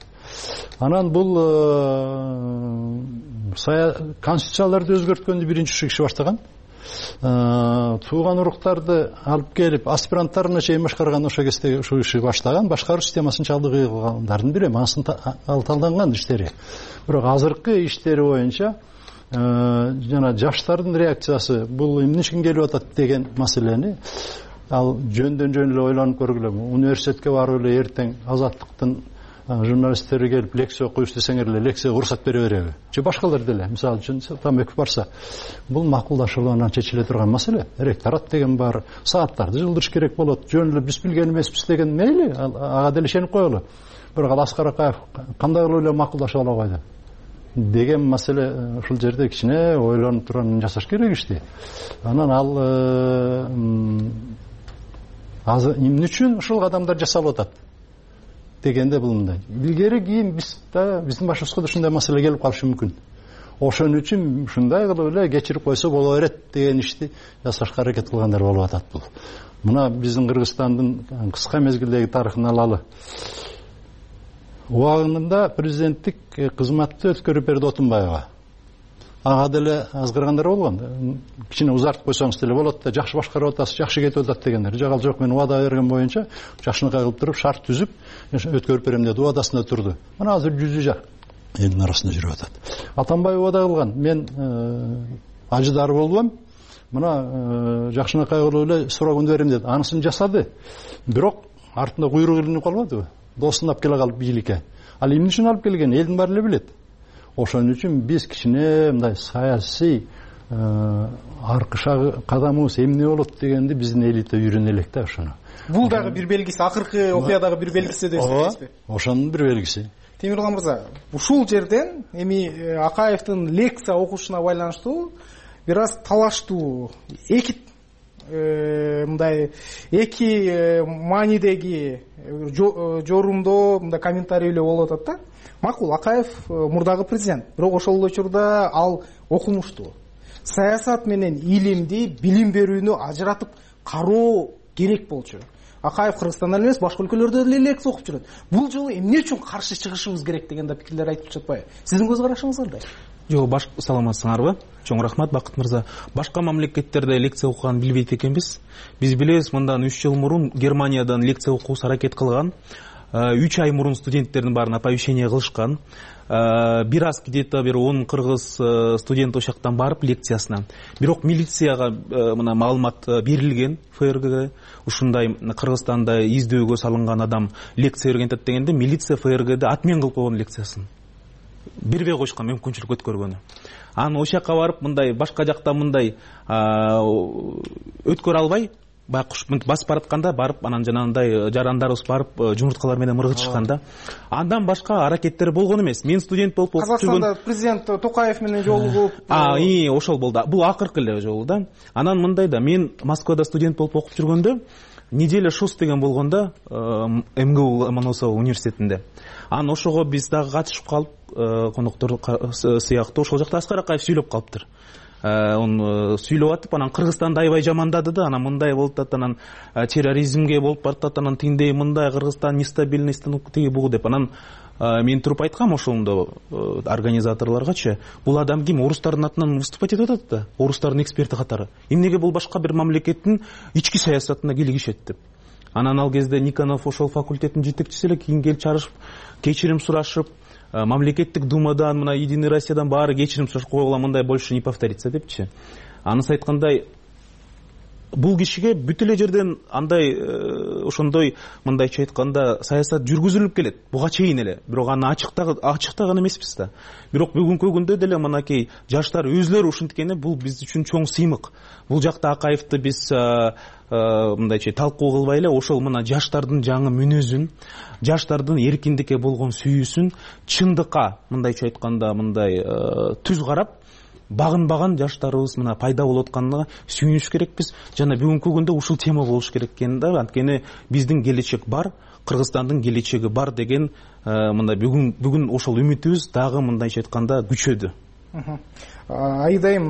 [SPEAKER 22] Анан бул конституцияларды өзгөрткөндү биринчи ушу киши баштаган. Тууган уруктарды алып келип аспиранттарына чейин башкарган ошо кезде ушул иши баштаган, башкаруу системасын чалдыгы кылгандардын бири, анысын ал талданган иштери. Бирок азыркы иштери боюнча жана жаштардын реакциясы бул эмне үчүн келип атат деген маселени ал жөндөн жөн эле ойлонуп көргүлө. Университетке барып эле эртең азаттыктын журналисттери келип лекция окуйбуз десеңер эле лекцияга уруксат бере береби? Же башкалар деле, мисалы үчүн Тамеков барса, бул макулдашылуу менен чечиле турган маселе. Ректорат деген бар, сааттарды жылдырыш керек болот. Жөн эле биз билген эмеспиз деген мейли, ага деле ишенип коелу. Бирок ал Аскар Акаев кандай кылып эле макулдашып ала койду деген маселе ушул жерде кичине ойлонуп турган жасаш керек ишти. Анан ал азыр эмне үчүн ушул кадамдар жасалып атат дегенде бул мындай. Илгери кийин биз да биздин башыбызга да ушундай маселе келип калышы мүмкүн. Ошон үчүн ушундай кылып эле кечирип койсо боло берет деген ишти жасашка аракет кылгандар болуп атат бул. Мына биздин Кыргызстандын кыска мезгилдеги тарыхын алалы. Убагында президенттик кызматты өткөрүп берди Отунбаева. Ага деле азгыргандар болгон. Кичине узартып койсоңуз деле болот да, жакшы башкарып атасыз, жакшы кетип атат дегендер. Жок, жок, мен убада берген боюнча жакшынакай кылып туруп шарт түзүп өткөрүп берем деди, убадасында турду. Мына азыр жүзү жак элдин арасында жүрүп атат. Атамбаев убада кылган. Мен ажыдары болбойм. Мына жакшынакай кылып эле срогун берем деди. Анысын жасады. Бирок артында куйрук илинип калбадыбы? Досун алып келе калып бийликке. Ал эмне үчүн алып келген? Элдин баары эле билет. Ошон үчүн биз кичине мындай саясий аркы шагы кадамыбыз эмне болот дегенди биздин элита үйрөнө элек да ошону.
[SPEAKER 21] Бул дагы бир белгиси, акыркы окуядагы бир белгиси деп эсептейсизби?
[SPEAKER 22] Ошонун бир белгиси.
[SPEAKER 21] Темирлан мырза, ушул жерден эми Акаевдин лекция окушуна байланыштуу бир аз талаштуу эки мындай эки маанидеги жорумдоо мындай комментарийлер болуп атат да. Макул, Акаев мурдагы президент, бирок ошол учурда ал окумуштуу. Саясат менен илимди, билим берүүнү ажыратып кароо керек болчу. Акаев Кыргызстанда эмес, башка өлкөлөрдө деле лекция окуп жүрөт. Бул жолу эмне үчүн каршы чыгышыбыз керек дегенде пикирлер айтып жатпайбы? Сиздин көз карашыңыз кандай?
[SPEAKER 23] Жок, баш саламатсыңарбы? Чоң рахмат, Бакыт мырза. Башка мамлекеттерде лекция окуган билбейт экенбиз. Биз билебиз, мындан үч жыл мурун Германиядан лекция окуусу аракет кылган. үч ай мурун студенттердин баарын оповещение кылышкан. Бир аз где то бир он кыргыз студент ошол жактан барып лекциясына. Бирок милицияга мына маалымат берилген ФРГге. Ушундай Кыргызстанда издөөгө салынган адам лекция берген атат дегенде милиция ФРГде отмен кылып койгон лекциясын. Бербей койушкан мүмкүнчүлүк өткөргөнү. Анан ошол жака барып мындай башка жакта мындай өткөрө албай байкуш басып баратканда барып анан жанагындай жарандарыбыз барып жумурткалар менен мыргытышканда андан башка аракеттер болгон эмес. Мен студент болуп окуп жүргөн
[SPEAKER 21] Казакстанда президент Токаев менен жолугуп
[SPEAKER 23] А, и ошол болду. Бул акыркы эле жолу да. Анан мындай да, мен Москвада студент болуп окуп жүргөндө неделя шос деген болгондо МГУ Ломоносов университетинде. Анан ошого биз дагы катышып калып, коноктор сыяктуу ошол жакта Аскар Акаев сүйлөп калыптыр. Он сүйлөп атып, анан Кыргызстанды аябай жамандады да, анан мындай болуп атат, анан терроризмге болуп баратат, анан тиндей мындай Кыргызстан нестабильный станок тиги бугу деп. Анан мен туруп айткам ошондо организаторлоргачы, бул адам ким, орустардын атынан выступать этип атат да, орустардын эксперти катары. Эмнеге бул башка бир мамлекеттин ички саясатына кийлигишет деп. Анан ал кезде Никонов ошол факультеттин жетекчиси эле, кийин келип чарышып, кечирим сурашып, мамлекеттик думадан, мына Единый Россиядан баары кечирим сурашып койгула, мындай больше не повторится депчи. Анысы айткандай, бул кишиге бүт эле жерден андай ошондой мындайча айтканда саясат жүргүзүлүп келет. Буга чейин эле. Бирок аны ачыктаган ачыктаган эмеспиз да. Бирок бүгүнкү күндө деле мынакей жаштар өзлөрү ушинткени бул биз үчүн чоң сыймык. Бул жакта Акаевди биз мындайча талкуу кылбай эле ошол мына жаштардын жаңы мүнөзүн, жаштардын эркиндикке болгон сүйүүсүн чындыкка мындайча айтканда мындай түз карап багынбаган жаштарыбыз мына пайда болуп атканына сүйүнүш керекпиз. Жана бүгүнкү күндө ушул тема болуш керек экен да. Анткени биздин келечек бар, Кыргызстандын келечеги бар деген мындай бүгүн бүгүн ошол үмүтүбүз дагы мындайча айтканда күчөдү.
[SPEAKER 21] Айдайым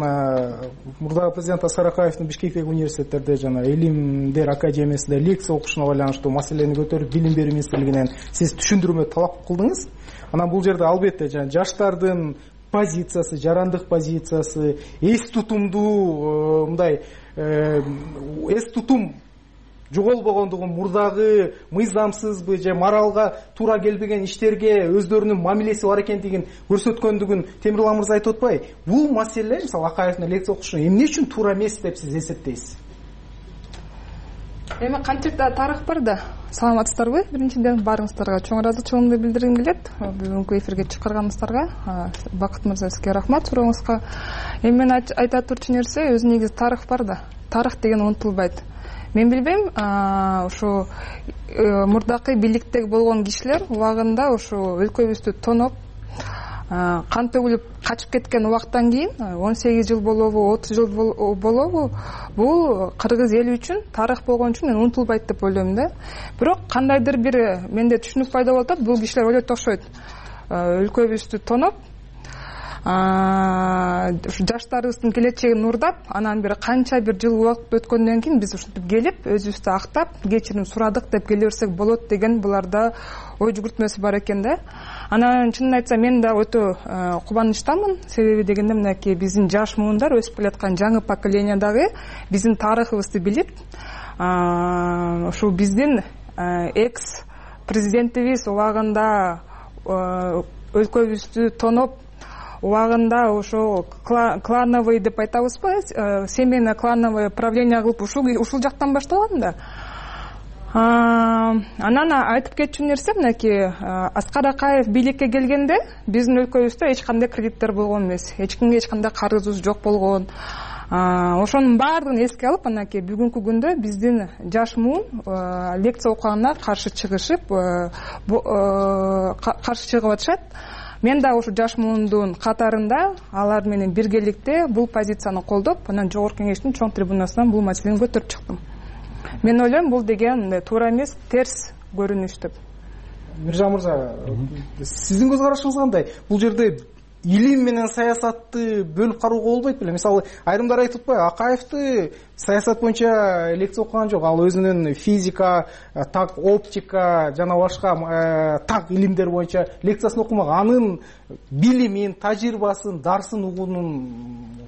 [SPEAKER 21] мурдагы президент Аскар Акаевдин Бишкектеги университеттерде жана Илимдер академиясында лекция окушуна байланыштуу маселени көтөрүп билим берүү министрлигинен сиз түшүндүрмө талап кылдыңыз. Анан бул жерде албетте жана жаштардын позициясы, жарандык позициясы, эс тутумдуу мындай эс тутум жоголбогондугун, мурдагы мыйзамсызбы же моралга туура келбеген иштерге өздөрүнүн мамилеси бар экендигин көрсөткөндүгүн Темирлан мырза айтып атпайбы? Бул маселе, мисалы Акаевдин лекция окушу эмне үчүн туура эмес деп сиз эсептейсиз?
[SPEAKER 8] Эми канчакта тарых бар да. Саламатсыздарбы? Биринчиден баарыңыздарга чоң ыраазычылыгымды билдиргим келет. Бүгүнкү эфирге чакырганыңыздарга Бакыт мырза сизге рахмат сурооңузга. Эми мен айта турчу нерсе, өзү негизи тарых бар да. Тарых деген унутулбайт. Мен билбейм, ушу мурдакы бийликте болгон кишилер убагында ушу өлкөбүздү тоноп, кан төгүлүп качып кеткен убактан кийин он сегиз жыл болобу, отуз жыл болобу, бул кыргыз эли үчүн тарых болгон үчүн мен унутулбайт деп ойлойм да. Бирок кандайдыр бир менде түшүнүк пайда болуп атат, бул кишилер ойлойт окшойт. Өлкөбүздү тоноп, жаштарыбыздын келечегин уурдап, анан бир канча бир жыл убакыт өткөндөн кийин биз ушинтип келип, өзүбүздү актап, кечирим сурадык деп келе берсек болот деген буларда ой жүгүртмөсү бар экен да. Анан чынын айтсам мен да өтө кубанычтамын. Себеби дегенде мынакей биздин жаш муундар өсүп келаткан жаңы поколение дагы биздин тарыхыбызды билип, ушул биздин экс президентибиз убагында өлкөбүздү тоноп, убагында ошо клановый деп айтабызбы, семейно клановый правление кылып ушул ушул жактан башталган да. Анан айтып кетчү нерсе мынакей Аскар Акаев бийликке келгенде биздин өлкөбүздө эч кандай кредиттер болгон эмес, эч кимге эч кандай карызыбыз жок болгон. Ошонун баардыгын эске алып, анакей бүгүнкү күндө биздин жаш муун лекция окуганына каршы чыгышып, каршы чыгып атышат. Мен да ушу жаш муундун катарында алар менен биргеликте бул позицияны колдоп, анан жогорку кеңештин чоң трибунасынан бул маселени көтөрүп чыктым. Мен ойлойм, бул деген туура эмес, терс көрүнүш деп.
[SPEAKER 21] Миржан мырза, сиздин көз карашыңыз кандай? Бул жерде илим менен саясатты бөлүп карууга болбойт беле? Мисалы, айрымдар айтып атпайбы, Акаевди саясат боюнча лекция окуган жок. Ал өзүнүн физика, так оптика жана башка так илимдер боюнча лекциясын окумаган. Анын билимин, тажрыйбасын, дарсын угуунун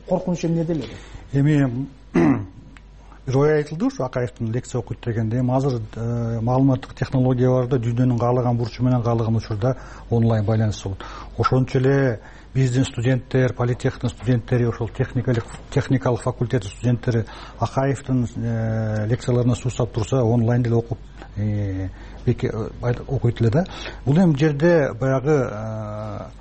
[SPEAKER 21] коркунучу эмнеде эле?
[SPEAKER 22] Эми бир ой айтылды ушу Акаевдин лекция окуйт дегенде. Эми азыр маалыматтык технологияларда дүйнөнүн каалаган бурчу менен каалаган учурда онлайн байланыш болот. Ошончо эле биздин студенттер, политехтин студенттери, ошол техникалык техникалык факультеттин студенттери Акаевдин лекцияларына суусап турса, онлайн деле окуп окуйт эле да. Бул эми жерде баягы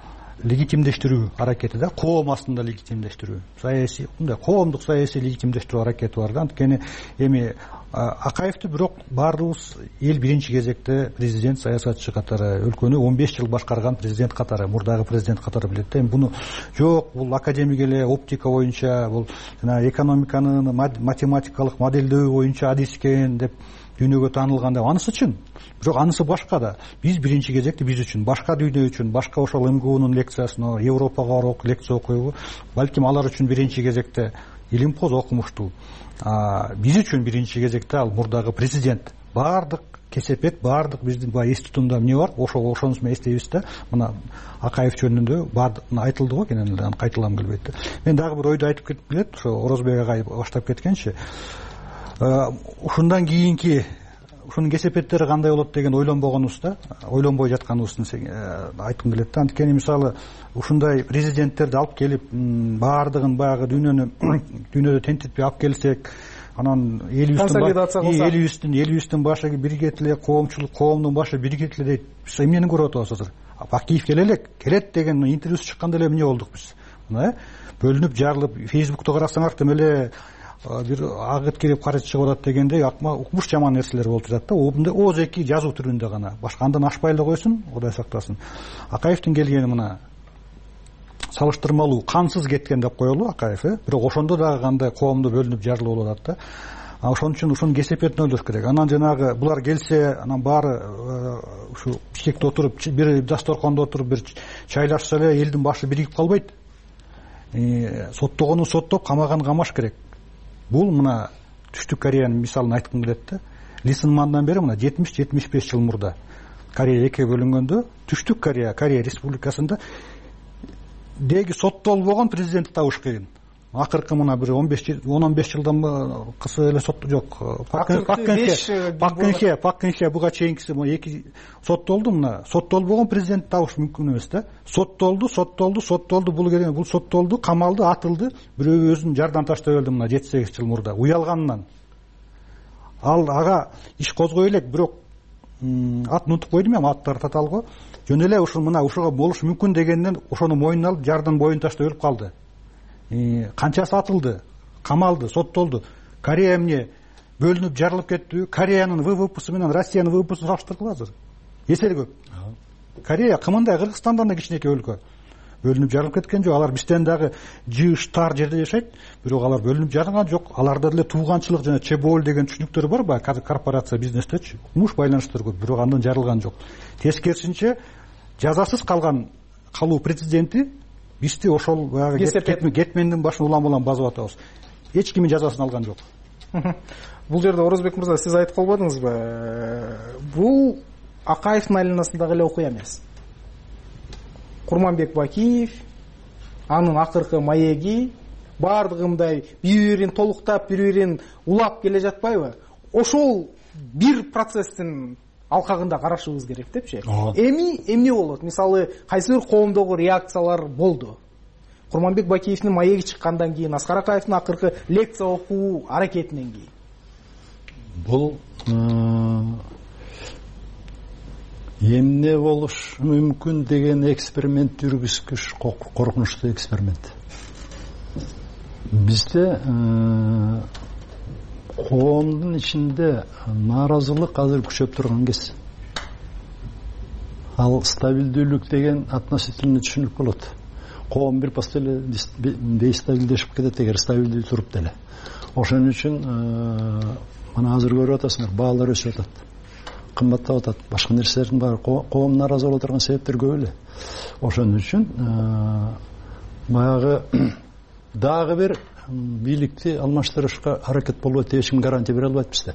[SPEAKER 22] легитимдештирүү аракети да, коом астында легитимдештирүү, саясий, мындай коомдук саясий легитимдештирүү аракети бар да. Анткени эми Акаевди бирок баарыбыз эл биринчи кезекте президент, саясатчы катары, өлкөнү он беш жыл башкарган президент катары, мурдагы президент катары билет да. Эми буну жок, бул академик эле оптика боюнча, бул жана экономиканын математикалык моделдөө боюнча адис экен деп дүйнөгө таанылган деп, анысы чын. Бирок анысы башка да. Биз биринчи кезекте биз үчүн, башка дүйнө үчүн, башка ошол эм гэ унун лекциясына, Европага барып лекция окуйбу, балким алар үчүн биринчи кезекте илимпоз окумуштуу. Биз үчүн биринчи кезекте ал мурдагы президент. Баардык кесепет, баардык биздин баягы институтунда эмне бар, ошо ошонусу менен эстейбиз да. Мына Акаев жөнүндө баардык айтылды го, кенен эле кайталагым келбейт да. Мен дагы бир ойду айтып кетип келет, ошо Орозбек агай баштап кеткенчи. Ушундан кийинки ушунун кесепеттери кандай болот деген ойлонбогонубузда, ойлонбой жатканыбыздын айткым келет да. Анткени мисалы ушундай президенттерди алып келип, баардыгын баягы дүйнөнү дүйнөдө тентитпей алып келсек, анан элибиздин элибиздин башы биригет эле, коомчулук, коомдун башы биригет эле дейт. Биз эмнени көрүп атабыз азыр? Бакиев келе элек, келет деген интервьюсу чыкканда эле эмне болдук биз? Мына бөлүнүп, жарылып, Фейсбукта карасаңар тем эле бир агыт кирип карыз чыгып атат дегенде укмуш жаман нерселер болуп жатат да. Обунда ооз-эки жазуу түрүндө гана, башка андан ашпай эле койсун, Кудай сактасын. Акаевдин келгени мына салыштырмалуу кансыз кеткен деп коелу Акаев, э бирок ошондо дагы кандай коомдо бөлүнүп жарылып болуп атат да. Ошон үчүн ушунун кесепетин ойлош керек. Анан жанагы булар келсе, анан баары ушу Бишкекте отуруп, бир дасторкондо отуруп бир чайлашса эле элдин башы биригип калбайт. Соттогону соттоп, камаган камаш керек. Бул мына Түштүк Кореянын мисалын айткым келет да. Ли Сын Мандан бери мына жетимиш жетимиш беш жыл мурда Корея экиге бөлүнгөндө Түштүк Корея, Корея республикасында деги соттолбогон президентти табыш кыйын. Акыркы мына бир он беш он беш жылдан кысы эле сот жок. Паккенхе, Паккенхе буга чейинкиси эки соттолду, мына соттолбогон президентти табыш мүмкүн эмес да. Соттолду, соттолду, соттолду, бул керек, бул соттолду, камалды, атылды, бирөө өзүн жардан таштап өлдү мына жети сегиз жыл мурда уялганынан. Ал ага иш козгой элек, бирок атын унутуп койдум, эми аттары таталго. Жөн эле ушул мына ушуга болуш мүмкүн дегенден ошону мойнуна алып жардан боюн таштап өлүп калды. Канчасы атылды, камалды, соттолду. Корея эмне бөлүнүп жарылып кетти. Кореянын вэ вэ псы менен Россиянын вэ вэ псын салыштыргыла азыр. Эселе көп. Корея кымындай Кыргызстандан да кичинекей өлкө. Бөлүнүп жарылып кеткен жок. Алар бизден дагы жыш тар жерде жашайт, бирок алар бөлүнүп жарылган жок. Аларда деле тууганчылык жана чебол деген түшүнүктөр бар ба? Корпорация бизнестечи. Муш байланыштар көп, бирок андан жарылган жок. Тескерисинче жазасыз калган калуу президенти бизди ошол баягы кетмендин башын улам-улам басып атабыз. Эч кимдин жазасын алган жок.
[SPEAKER 21] Бул жерде Орозбек мырза, сиз айтып калбадыңызбы? Бул Акаевдин айланасындагы эле окуя эмес. Курманбек Бакиев, анын акыркы маеги, баардыгы мындай бири-бирин толуктап, бири-бирин улап келе жатпайбы? Ошол бир процесстин алкагында карашыбыз керек депчи. Эми эмне болот? Мисалы, кайсы бир коомдогу реакциялар болду. Курманбек Бакиевдин маеги чыккандан кийин, Аскар Акаевдин акыркы лекция окуу аракетинен кийин.
[SPEAKER 22] Бул эмне болуш мүмкүн деген эксперимент жүргүзгүч коркунучтуу эксперимент. Бизде коомдун ичинде нааразылык азыр күчөп турган кез. Ал стабилдүүлүк деген относительно түшүнүк болот. Коом бир пас эле дестабилдешип кетет эгер стабилдүү туруп деле. Ошон үчүн мына азыр көрүп атасыңар, баалар өсүп атат, кымбаттап атат, башка нерселердин баары. Коом нааразы боло турган себептер көп эле. Ошон үчүн баягы дагы бир бийликти алмаштырышка аракет болбойт деп эч ким гарантия бере албайт бизде.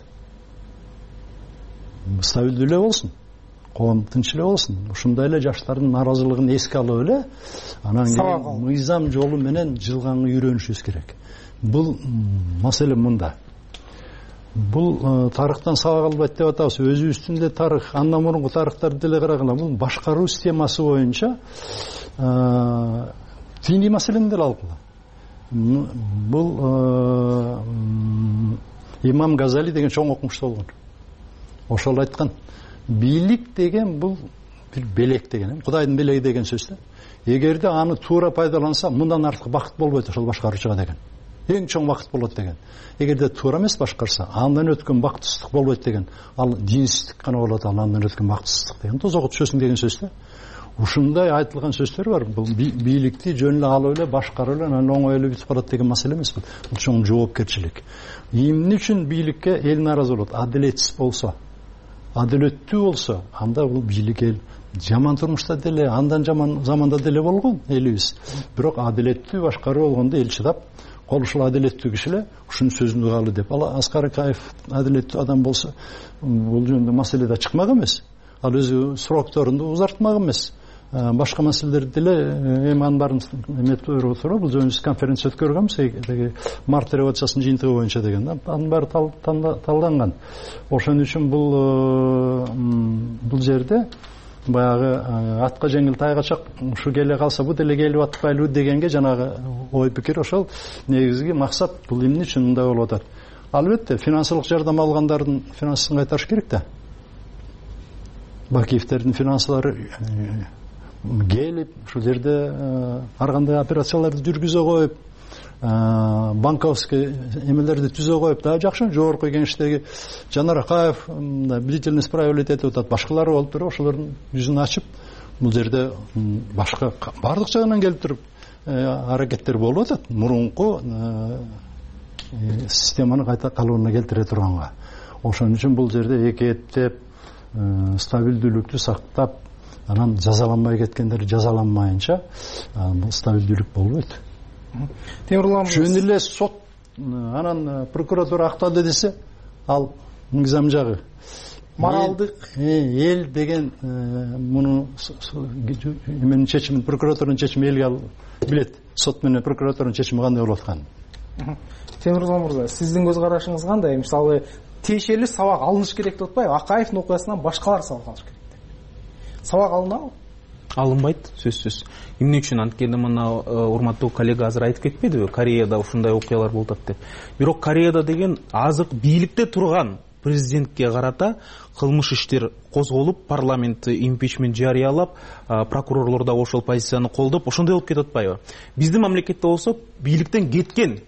[SPEAKER 22] Стабилдүү эле болсун, коом тынч эле болсун. Ушундай эле жаштардын нааразылыгын эске алып эле, анан кийин мыйзам жолу менен жылганга үйрөнүшүбүз керек. Бул маселе мында. бул тарыхтан сабак албайт деп атабыз. Өзүбүздүн деле тарых, андан мурунку тарыхтарды деле карагыла, бул башкаруу системасы боюнча диний маселени деле алгыла. Бул имам Газали деген чоң окумуштуу болгон. Ошол айткан, бийлик деген бул бир белек деген, Кудайдын белеги деген сөз да. Эгерде аны туура пайдаланса, мындан артык бакыт болбойт ошол башкаруучуга деген. Эң чоң бакыт болот деген. Эгерде туура эмес башкарса, андан өткөн бактысыздык болбойт деген. Ал динсиздик гана болот, ал андан өткөн бактысыздык деген. Тозого түшөсүң деген сөз да. Ушундай айтылган сөздөр бар. Бул бийликти жөн эле алып эле башкарып эле анан оңой эле бүтүп калат деген маселе эмес бул. Бул чоң жоопкерчилик. Эмне үчүн бийликке эл нааразы болот? Адилетсиз болсо, адилеттүү болсо, анда бул бийлик эл жаман турмушта деле, андан жаман заманда деле болгон элибиз. Бирок адилеттүү башкаруу болгондо эл чыдап, кол ушул адилеттүү киши эле ушунун сөзүн угалы деп. Ал Аскар Акаев адилеттүү адам болсо, бул жөнүндө маселе да чыкмак эмес. Ал өзү срокторунду узартмак эмес. Башка маселелерди деле эми анын баарын эметип отуруп, бул жөнүндө конференция өткөргөнбүз, март революциясынын жыйынтыгы боюнча деген. Анын баары талданган. Ошон үчүн бул бул жерде баягы атка жеңил тайга чак, ушу келе калса бу деле келип атпайлыбы дегенге жанагы ой пикир ошол негизги максат. Бул эмне үчүн мындай болуп атат? Албетте финансылык жардам алгандардын финансысын кайтарыш керек да. Бакиевтердин финансылары келип ушул жерде ар кандай операцияларды жүргүзө коюп, банковский эмелерди түзө коюп, да жакшы жогорку кеңештеги Жанар Акаев бдительность проявлять этип атат, башкалары болуп туруп ошолордун жүзүн ачып, бул жерде башка баардык жагынан келип туруп аракеттер болуп атат мурунку системаны кайта калыбына келтире турганга. Ошон үчүн бул жерде эки эптеп стабилдүүлүктү сактап, анан жазаланбай кеткендер жазаланмайынча бул стабилдүүлүк болбойт.
[SPEAKER 21] Темирлан
[SPEAKER 22] жөн эле сот анан прокуратура актады десе, ал мыйзам жагы
[SPEAKER 21] моралдык
[SPEAKER 22] эл деген муну эменин чечимин, прокуратуранын чечими элге билет. Сот менен прокуратуранын чечими кандай болуп атканын.
[SPEAKER 21] Темирлан мырза, сиздин көз карашыңыз кандай? Мисалы тиешелүү сабак алыныш керек деп атпайбы? Акаевдин окуясынан башкалар сабак алыш керек деп. Сабак алынабы?
[SPEAKER 23] Алынбайт, сөзсүз. Эмне үчүн анткени мына урматтуу коллега азыр айтып кетпедиби? Кореяда ушундай окуялар болуп атат деп. Бирок Кореяда деген азыр бийликте турган президентке карата кылмыш иштер козголуп, парламент импичмент жарыялап, прокурорлор да ошол позицияны колдоп, ошондой болуп кетип атпайбы? Биздин мамлекетте болсо бийликтен кеткен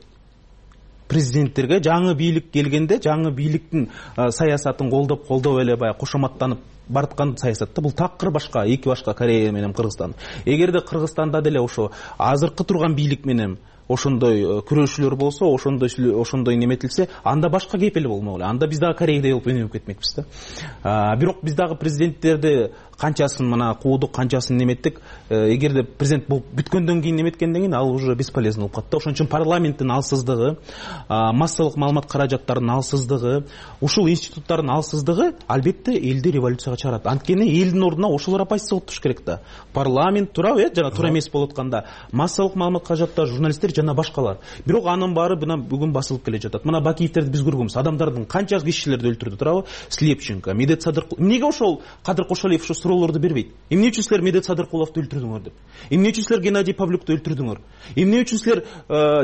[SPEAKER 23] президенттерге жаңы бийлик келгенде, жаңы бийликтин саясатын колдоп, колдоп эле баягы кошоматтанып барткан саясатта бул такыр башка, эки башка Корея менен Кыргызстан. Эгерде Кыргызстанда деле ошо азыркы турган бийлик менен ошондой күрөшүүлөр болсо, ошондой ошондой неметилсе, анда башка кепели болмок эле. Анда биз дагы Кореядай болуп өнүгүп кетмекпиз да. Бирок биз дагы президенттерди канчасын мына куудук, канчасын неметтик. Эгерде президент болуп бүткөндөн кийин неметкенден кийин ал уже бесполезно болуп калат да. Ошон үчүн парламенттин алсыздыгы, массалык маалымат каражаттарынын алсыздыгы, ушул институттардын алсыздыгы албетте элди революцияга чыгарат. Анткени элдин ордуна ошолор оппозиция болуп туруш керек да. Парламент туурабы, э, жана туура эмес болуп атканда, массалык маалымат каражаттар, журналисттер жана башкалар. Бирок анын баары мына бүгүн басылып келе жатат. Мына Бакиевтерди биз көргөнбүз. Адамдардын канча кишилерди өлтүрдү туурабы? Слепченко, Медет Садыркулов. Эмнеге ошол Кадыр Кошалиев ошо суроолорду бербейт? Эмне үчүн силер Медет Садыркуловду өлтүрдүңөр деп? Эмне үчүн силер Геннадий Павлюкты өлтүрдүңөр? Эмне үчүн силер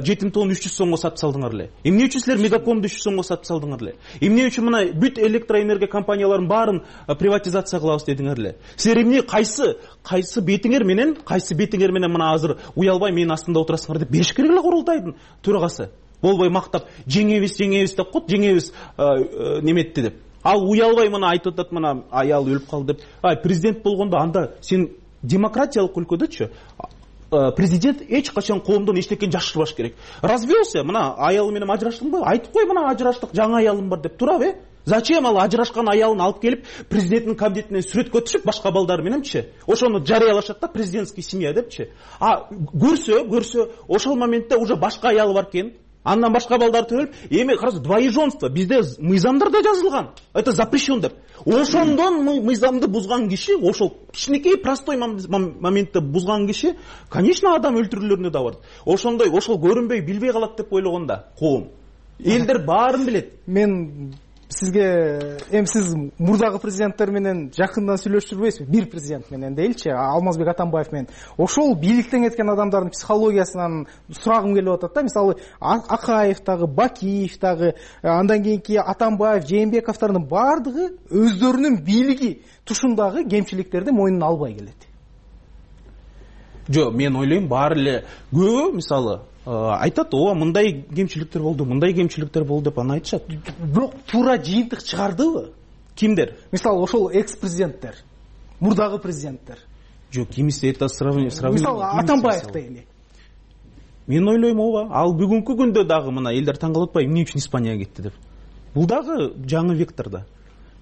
[SPEAKER 23] жетим тонн үч жүз сомго сатып салдыңар эле? Эмне үчүн силер Мегакомду үч жүз сомго сатып салдыңар эле? Эмне үчүн мына бүт электроэнергия компанияларын баарын приватизация кылабыз дедиңер эле? Силер эмне кайсы кайсы бетиңер менен, кайсы бетиңер менен мына азыр уялбай менин астымда отурасыңар деп бериш керек эле курултайдын төрагасы. Болбой мактап жеңебиз, жеңебиз деп кот, жеңебиз неметти деп. Ал уялбай мына айтып атат, мына аял өлүп калды деп. Ай, президент болгондо анда сен демократиялык өлкөдөчү президент эч качан коомдон эчтекени жашырбаш керек. Развелся, мына аялы менен ажыраштыңбы? Айтып кой, мына ажыраштык, жаңы аялым бар деп турабы, э? Зачем ал ажырашкан аялын алып келип президенттин кабинетинен сүрөткө түшүп башка балдар мененчи? Ошону жарыялашат да, президентский семья депчи. А көрсө, көрсө, ошол моментте уже башка аялы бар экен. Андан башка балдар төрөлүп, эми караса двоеженство бизде мыйзамдарда жазылган. Это запрещен деп. Ошондон мыйзамды бузган киши, ошол кичинекей простой моментте бузган киши, конечно, адам өлтүрүүлөрүнө да бар. Ошондой, ошол көрүнбөй, билбей калат деп ойлогонда коом. элдер баарын билет.
[SPEAKER 21] Мен сизге эми сиз мурдагы президенттер менен жакындан сүйлөшүп жүрбөйсүзбү? Бир президент менен дейилчи, Алмазбек Атамбаев менен. Ошол бийликтен кеткен адамдардын психологиясынан сурагым келип атат да. Мисалы Акаев дагы, Бакиев дагы, андан кийинки Атамбаев, Жээнбековдордун баардыгы өздөрүнүн бийлиги тушундагы кемчиликтерди мойнуна албай келет.
[SPEAKER 23] Жок, мен ойлойм баары эле көбү мисалы айтат, ооба мындай кемчиликтер болду, мындай кемчиликтер болду деп аны айтышат.
[SPEAKER 21] Бирок туура жыйынтык чыгардыбы?
[SPEAKER 23] Кимдер?
[SPEAKER 21] Мисалы ошол экс-президенттер, мурдагы президенттер.
[SPEAKER 23] Жок, кимиси это сравнение.
[SPEAKER 21] Мисалы Атамбаев дейли.
[SPEAKER 23] Мен ойлойм ооба. Ал бүгүнкү күндө дагы мына элдер таң калып атпайбы, эмне үчүн Испанияга кетти деп. Бул дагы жаңы векторда.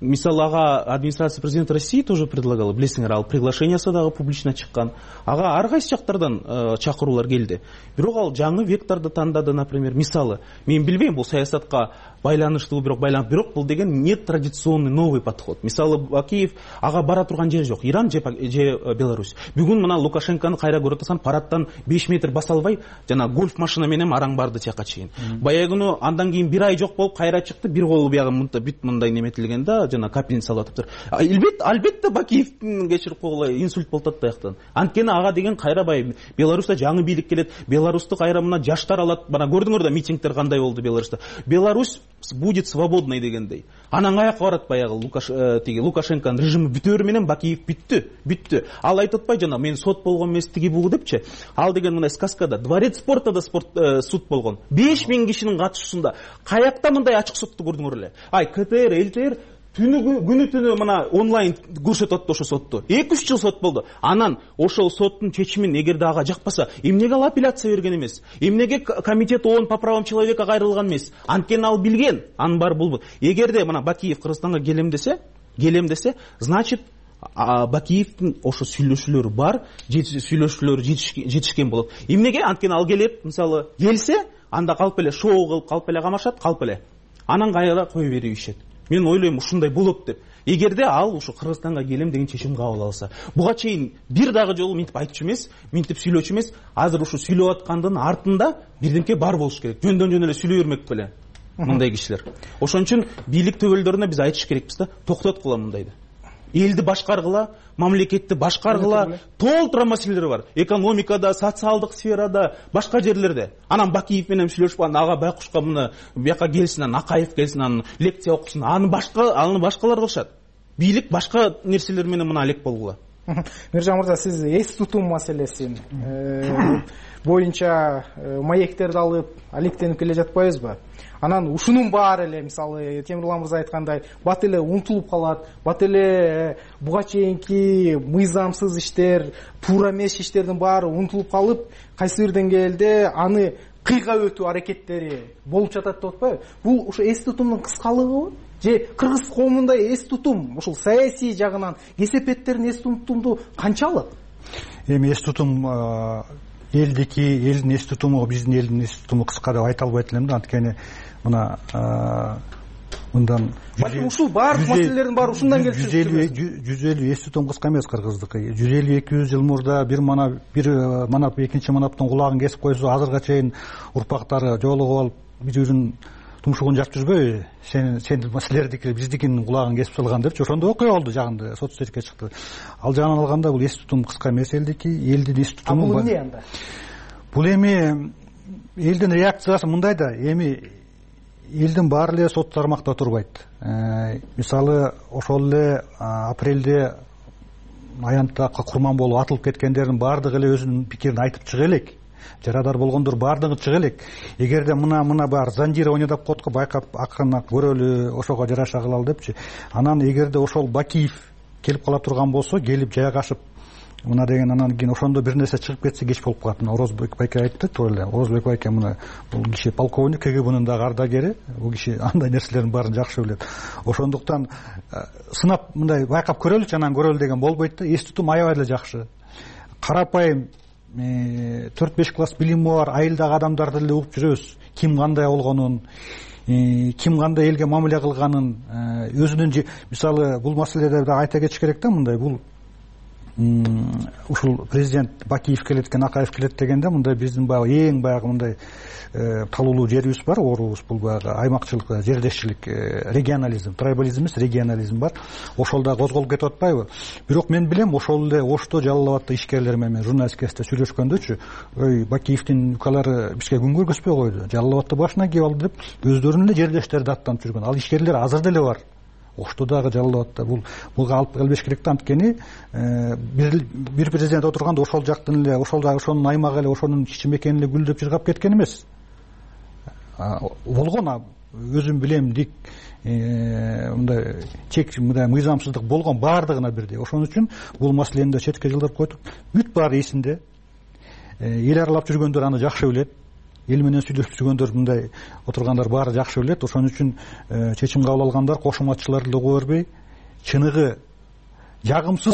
[SPEAKER 23] Мисалы ага администрация президента России тоже предлагала, билесиңер, ал приглашениясы дагы публично чыккан. Ага ар кайсы жактардан чакыруулар келди. Бирок ал жаңы векторду тандады, например. Мисалы, мен билбейм, бул саясатка байланыштуу, бирок байланып, бирок бул деген не традиционный новый подход. Мисалы, Бакиев ага бара турган жери жок. Иран же Беларусь. Бүгүн мына Лукашенкону кайра көрүп атсаң, парадтан беш метр баса албай, жана гольф машина менен араң барды тияка чейин. Баягы андан кийин бир ай жок болуп кайра чыкты, бир колу биягы бүт мындай неметилген да, жана капельница салып атыптыр. Албетте, албетте Бакиевдин кечирип койгула инсульт болуп атат бияктан. Анткени ага деген кайра бай Беларуста жаңы бийлик келет. Беларусты кайра мына жаштар алат. Мына көрдүңөр да митингдер кандай болду Беларуста. Беларусь будет свободной дегендей. Анан каяка барат баягы Лукаш тиги Лукашенконун режими бүтөөрү менен Бакиев бүттү, бүттү. Ал айтып атпай жана мен сот болгон эмес тиги бугу депчи. Ал деген мына сказкада дворец спорта да спорт суд болгон. беш миң кишинин катышуусунда каякта мындай ачык сотту көрдүңөр эле. Ай КТР, ЛТР түнү күнү түнү мына онлайн көрсөтүп атты ошо сотту. эки үч жыл сот болду. Анан ошол соттун чечимин эгерде ага жакпаса, эмнеге ал апелляция берген эмес? Эмнеге комитет ООН по правам человека кайрылган эмес? Анткени ал билген, анын баары бул. Эгерде мына Бакиев Кыргызстанга келем десе, келем десе, значит Бакиевдин ошо сүйлөшүүлөрү бар, сүйлөшүүлөрү жетишкен болот. Эмнеге? Анткени ал келет, мисалы, келсе, анда калп эле шоу кылып, калп эле камашат, калп эле. Анан кайра кое берип ишет. Мен ойлойм ушундай болот деп. Эгерде ал ушу Кыргызстанга келем деген чечим кабыл алса, буга чейин бир дагы жолу минтип айтчу эмес, минтип сүйлөчү эмес, азыр ушу сүйлөп аткандын артында бирдемке бар болуш керек. Жөндөн жөн эле сүйлөй бермек беле мындай кишилер. Ошон үчүн бийлик төбөлдөрүнө биз айтыш керекпиз да, токтоткула мындайды. Элди башкаргыла, мамлекетти башкаргыла, толтура маселелер бар. Экономикада, социалдык сферада, башка жерлерде. Анан Бакиев менен сүйлөшүп, ага байкушка муну бияка келсин, анан Акаев келсин, анан лекция окусун. Аны башка, аны башкалар кылышат. Бийлик башка нерселер менен мына алек болгула.
[SPEAKER 21] Миржан мырза, сиз эс тутуу маселесин боюнча маектерди алып алектенип келе жатпайбызбы? Анан ушунун баары эле, мисалы, Темирлан мырза айткандай, бат эле унутулуп калат, бат эле буга чейинки мыйзамсыз иштер, туура эмес иштердин баары унутулуп калып, кайсы бир деңгээлде аны кыйга өтүү аракеттери болуп жатат деп атпайбы? Бул ушу эс тутумдун кыскалыгыбы? Же кыргыз коомунда эс тутум, ушул саясий жагынан кесепеттердин эс тутумду канчалык?
[SPEAKER 22] Эми эс тутум элдики, элдин эс тутуму, биздин элдин эс тутуму кыска деп айта албайт элем да, анткени мына мындан
[SPEAKER 21] ушул баардык маселелердин баары ушундан келип
[SPEAKER 22] чыгат. жүз элүү эс тутум кыска эмес кыргыздыкы. жүз элүү эки жүз жыл мурда бир манап бир манап экинчи манаптын кулагын кесип койсо, азырга чейин урпактары жоолугуп алып биздин тумшугун жап жүрбөйбү? Сен сен силердики биздикинин кулагын кесип салган депчи. Ошондо окуя болду жагында, сот четке чыкты. Ал жагынан алганда бул эс тутум кыска эмес элдики, элдин эс тутуму.
[SPEAKER 21] Бул эмне анда?
[SPEAKER 22] Бул эми элдин реакциясы мындай да, эми элдин баары эле сот тармакта турбайт. Мисалы, ошол эле апрелде аянтта курман болуп атылып кеткендердин баардыгы эле өзүнүн пикирин айтып чыга элек. Жарадар болгондор баардыгы чыга элек. Эгерде мына мына бар зандирование деп коет го, байкап акырын көрөлү, ошого жараша кылалы депчи. Анан эгерде ошол Бакиев келип кала турган болсо, келип жайгашып мына деген, анан кийин ошондо бир нерсе чыгып кетсе кеч болуп калат. Орозбек байке айтты, туура эле. Орозбек байке мына бул киши полковник, КГБнын дагы ардагери, бул киши андай нерселердин баарын жакшы билет. Ошондуктан сынап мындай байкап көрөлүчү, анан көрөлү деген болбойт да. Эс тутум аябай эле жакшы. Карапайым төрт беш класс билими бар айылдагы адамдарды эле угуп жүрөбүз. Ким кандай болгонун, ким кандай элге мамиле кылганын, өзүнүн мисалы бул маселеде да айта кетиш керек да, мындай бул ушул президент Бакиев келет экен, Акаев келет дегенде мындай биздин баягы эң баягы мындай талуулуу жерибиз бар, оорубуз, бул баягы аймакчылык, жердешчилик, регионализм, трайбализм эмес, регионализм бар. Ошол да козголуп кетип атпайбы? Бирок мен билем, ошол эле Ошто, Жалал абадта ишкерлер менен журналист кесте сүйлөшкөндөчү, ой, Бакиевдин укалары бизге күн көргөзбөй койду, Жалал абадта башына кеп алды деп өздөрүнүн эле жердештерди аттанып жүргөн. Ал ишкерлер азыр деле бар. Оштодагы, Жалал абадта бул буга алып келбеш керек да. Анткени бир бир президент отурганда ошол жактын эле, ошол ошонун аймагы эле, ошонун кичи мекени эле гүлдөп жыргап кеткен эмес. Болгон, өзүм билем, дик мындай чек, мындай мыйзамсыздык болгон, баардыгына бирдей. Ошон үчүн бул маселени да четке жылдырып койдук. Бүт баары эсинде. Эл аралап жүргөндөр аны жакшы билет. Эл менен сүйлөшүп жүргөндөр, мындай отургандар баары жакшы билет. Ошон үчүн чечим кабыл алгандар кошуматчыларды да кое бербей, чыныгы жагымсыз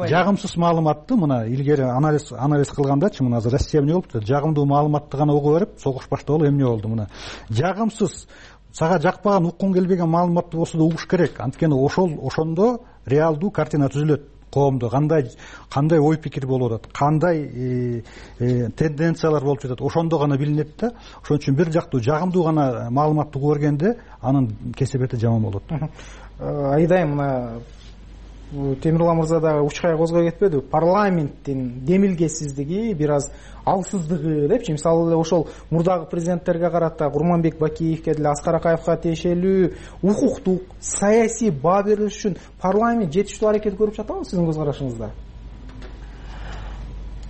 [SPEAKER 22] жагымсыз маалыматты мына илгери анализ анализ кылгандачы, мына азыр Россия эмне болупту? Жагымдуу маалыматты гана угуп берип, согуш баштагалы эмне болду? Мына жагымсыз, сага жакпаган, уккуң келбеген маалыматты болсо да угуш керек. Анткени ошол ошондо реалдуу картина түзүлөт. Коомдо кандай кандай ой пикир болуп атат, кандай тенденциялар болуп жатат, ошондо гана билинет да. Ошон үчүн бир жактуу жагымдуу гана маалыматты угуп бергенде анын кесепети жаман болот.
[SPEAKER 21] Айдайм, мына Темирлан мырза да учкай козгой кетпеди. Парламенттин демилгесиздиги, бир аз алсыздыгы депчи. Мисалы эле ошол мурдагы президенттерге карата, Курманбек Бакиевке деле, Аскар Акаевка тиешелүү укуктук, саясий баа берилиш үчүн парламент жетиштүү аракет көрүп жатабы сиздин көз карашыңызда?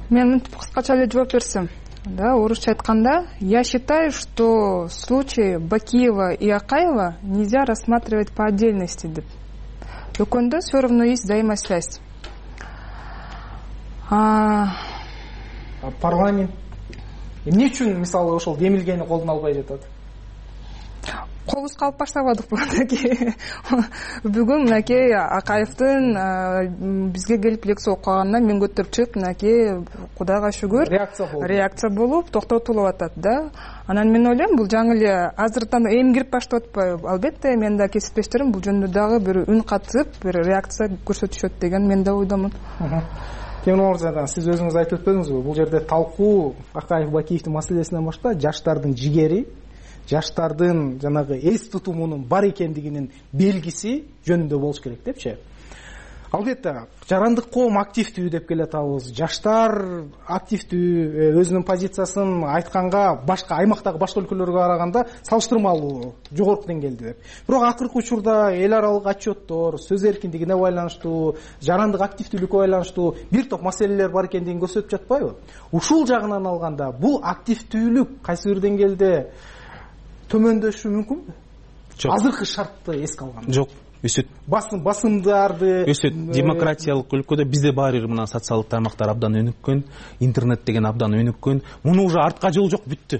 [SPEAKER 8] Мен мынтип кыскача эле жооп берсем, да, орусча айтканда, я считаю, что случаи Бакиева и Акаева нельзя рассматривать по отдельности деп. Экөөндө все равно есть взаимосвязь.
[SPEAKER 21] Парламент эмне үчүн мисалы ошол демилгени колдон албай жатат?
[SPEAKER 8] Колубуз калып баштабадыкпы? Бүгүн мынакей Акаевдин бизге келип лекция окуганына мен көтөрүп чыгып, мынакей Кудайга шүгүр реакция болуп токтотулуп атат да. Анан мен ойлойм, бул жаңы эле азырдан эми кирип баштап атпайбы? Албетте, мен да кесиптештерим бул жөнүндө дагы бир үн катып, бир реакция көрсөтүшөт деген мен да ойдомун.
[SPEAKER 21] Темирлан мырза, сиз өзүңүз айтып өтпөдүңүзбү? Бул жерде талкуу Акаев Бакиевдин маселесинен башка жаштардын жигери, жаштардын жанагы эс тутумунун бар экендигинин белгиси жөнүндө болуш керек депчи. Албетте, жарандык коом активдүү деп келатабыз. Жаштар активдүү, өзүнүн позициясын айтканга башка аймактагы башка өлкөлөргө караганда салыштырмалуу жогорку деңгээлде деп. Бирок акыркы учурда эл аралык отчеттор, сөз эркиндигине байланыштуу, жарандык активдүүлүккө байланыштуу бир топ маселелер бар экендигин көрсөтүп жатпайбы? Ушул жагынан алганда бул активдүүлүк кайсы бир деңгээлде төмөндөшү мүмкүнбү?
[SPEAKER 23] Жок.
[SPEAKER 21] Азыркы шартты эске алганда.
[SPEAKER 23] Жок. Өсөт.
[SPEAKER 21] Басым басымдарды
[SPEAKER 23] өсөт. Демократиялык өлкөдө бизде баары бир мына социалдык тармактар абдан өнүккөн, интернет деген абдан өнүккөн. Муну уже артка жол жок, бүттү.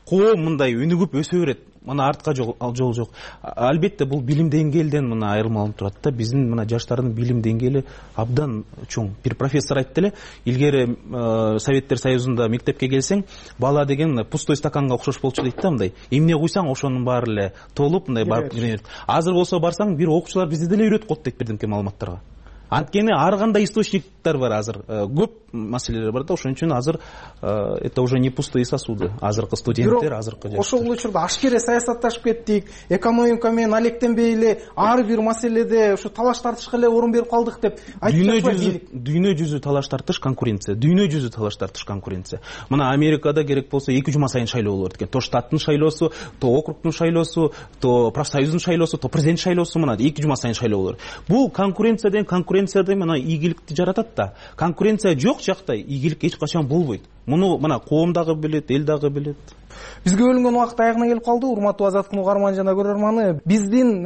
[SPEAKER 23] Коом мындай өнүгүп өсө берет. Мына артка жол жол жок. Албетте бул билим деңгээлден мына айырмаланып турат да. Биздин мына жаштардын билим деңгээли абдан чоң. Бир профессор айтты эле, илгери Советтер Союзунда мектепке келсең, бала деген пустой стаканга окшош болчу дейт да, мындай. Эмне куйсаң, ошонун баары эле толуп, мындай барып үйрөнөт. Азыр болсо барсаң, бир окуучулар бизде деле үйрөтүп коет дейт бирдемке маалыматтарга. Анткени ар кандай источниктер бар азыр, көп маселелер бар да. Ошон үчүн азыр это уже не пустые сосуды. Азыркы студенттер, азыркы жаштар.
[SPEAKER 21] Ошол учурда ашкере саясатташып кеттик, экономика менен алектенбей эле ар бир маселеде ушу талаш тартышка эле орун берип калдык деп айтып жатпайбы?
[SPEAKER 23] Дүйнө жүзү талаш тартыш, конкуренция. Дүйнө жүзү талаш тартыш, конкуренция. Мына Америкада керек болсо эки жума сайын шайлоо болот экен. То штаттын шайлоосу, то округдун шайлоосу, то профсоюздун шайлоосу, то президент шайлоосу, мына эки жума сайын шайлоо болот. Бул конкуренцияден конкуренцияда мына ийгиликти жаратат да. Конкуренция жок жакта ийгилик эч качан болбойт. Муну мына коом дагы билет, эл дагы билет.
[SPEAKER 21] Бизге бөлүнгөн убакыт аягына келип калды. Урматтуу Азаттык угарман жана көрөрманы, биздин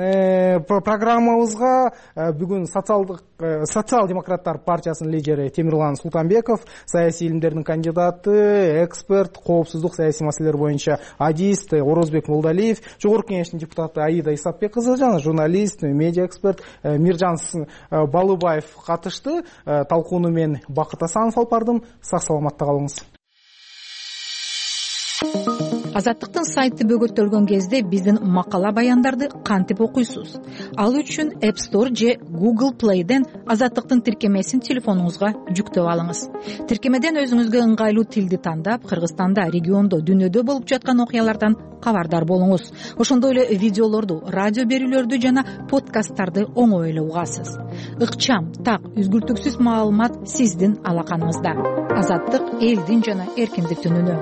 [SPEAKER 21] программабызга бүгүн социалдык социал-демократтар партиясынын лидери Темирлан Султанбеков, саясий илимдердин кандидаты, эксперт, коопсуздук саясий маселелер боюнча адист Орозбек Молдалиев, жогорку кеңештин депутаты Аида Исапбек кызы жана журналист, медиа эксперт Миржан Балыбаев катышты. Талкууну мен Бакыт Асанов алып бардым. Сак саламатта калыңыз.
[SPEAKER 1] Азаттыктын сайты бөгөттөлгөн кезде биздин макала баяндарды кантип окуйсуз? Ал үчүн App Store же Google Play'ден Азаттыктын тиркемесин телефонуңузга жүктөп алыңыз. Тиркемеден өзүңүзгө ыңгайлуу тилди тандап, Кыргызстанда, региондо, дүйнөдө болуп жаткан окуялардан кабардар болуңуз. Ошондой эле видеолорду, радио берүүлөрдү жана подкасттарды оңой эле угасыз. Ыкчам, так, үзгүлтүксүз маалымат сиздин алаканыңызда. Азаттык элдин жана эркиндиктин үнү.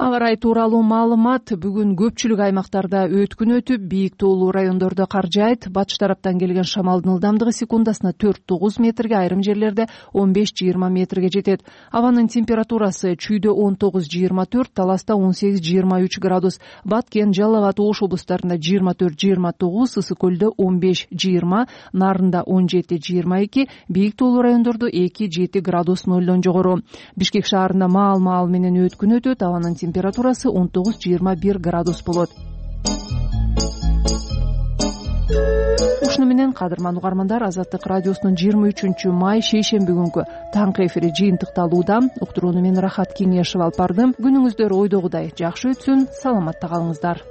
[SPEAKER 2] Аба ырайы тууралуу маалымат бүгүн көпчүлүк аймактарда өткүн өтүп, бийик тоолуу райондордо кар жаайт. Батыш тараптан келген шамалдын ылдамдыгы секундасына төрт тогуз метрге, айрым жерлерде он беш жыйырма метрге жетет. Абанын температурасы Чүйдө он тогуз жыйырма төрт, Таласта он сегиз жыйырма үч градус, Баткен, Жалал абад, Ош облустарында жыйырма төрт жыйырма тогуз, Ысык көлдө он беш жыйырма, Нарында он жети жыйырма эки, бийик тоолуу райондордо эки жети градус нолдон жогору. Бишкек шаарында маал-маал менен өткүн өтөт. Абанын температурасы он тогуз жыйырма бир градус болот. Ушуну менен кадырман угармандар, Азаттык радиосунун жыйырма үчүнчү май шейшемби күнкү таңкы эфири жыйынтыкталууда. Уктурууну мен Рахат Кеңешев алып бардым. Күнүңүздөр ойдогудай жакшы өтсүн, саламатта калыңыздар.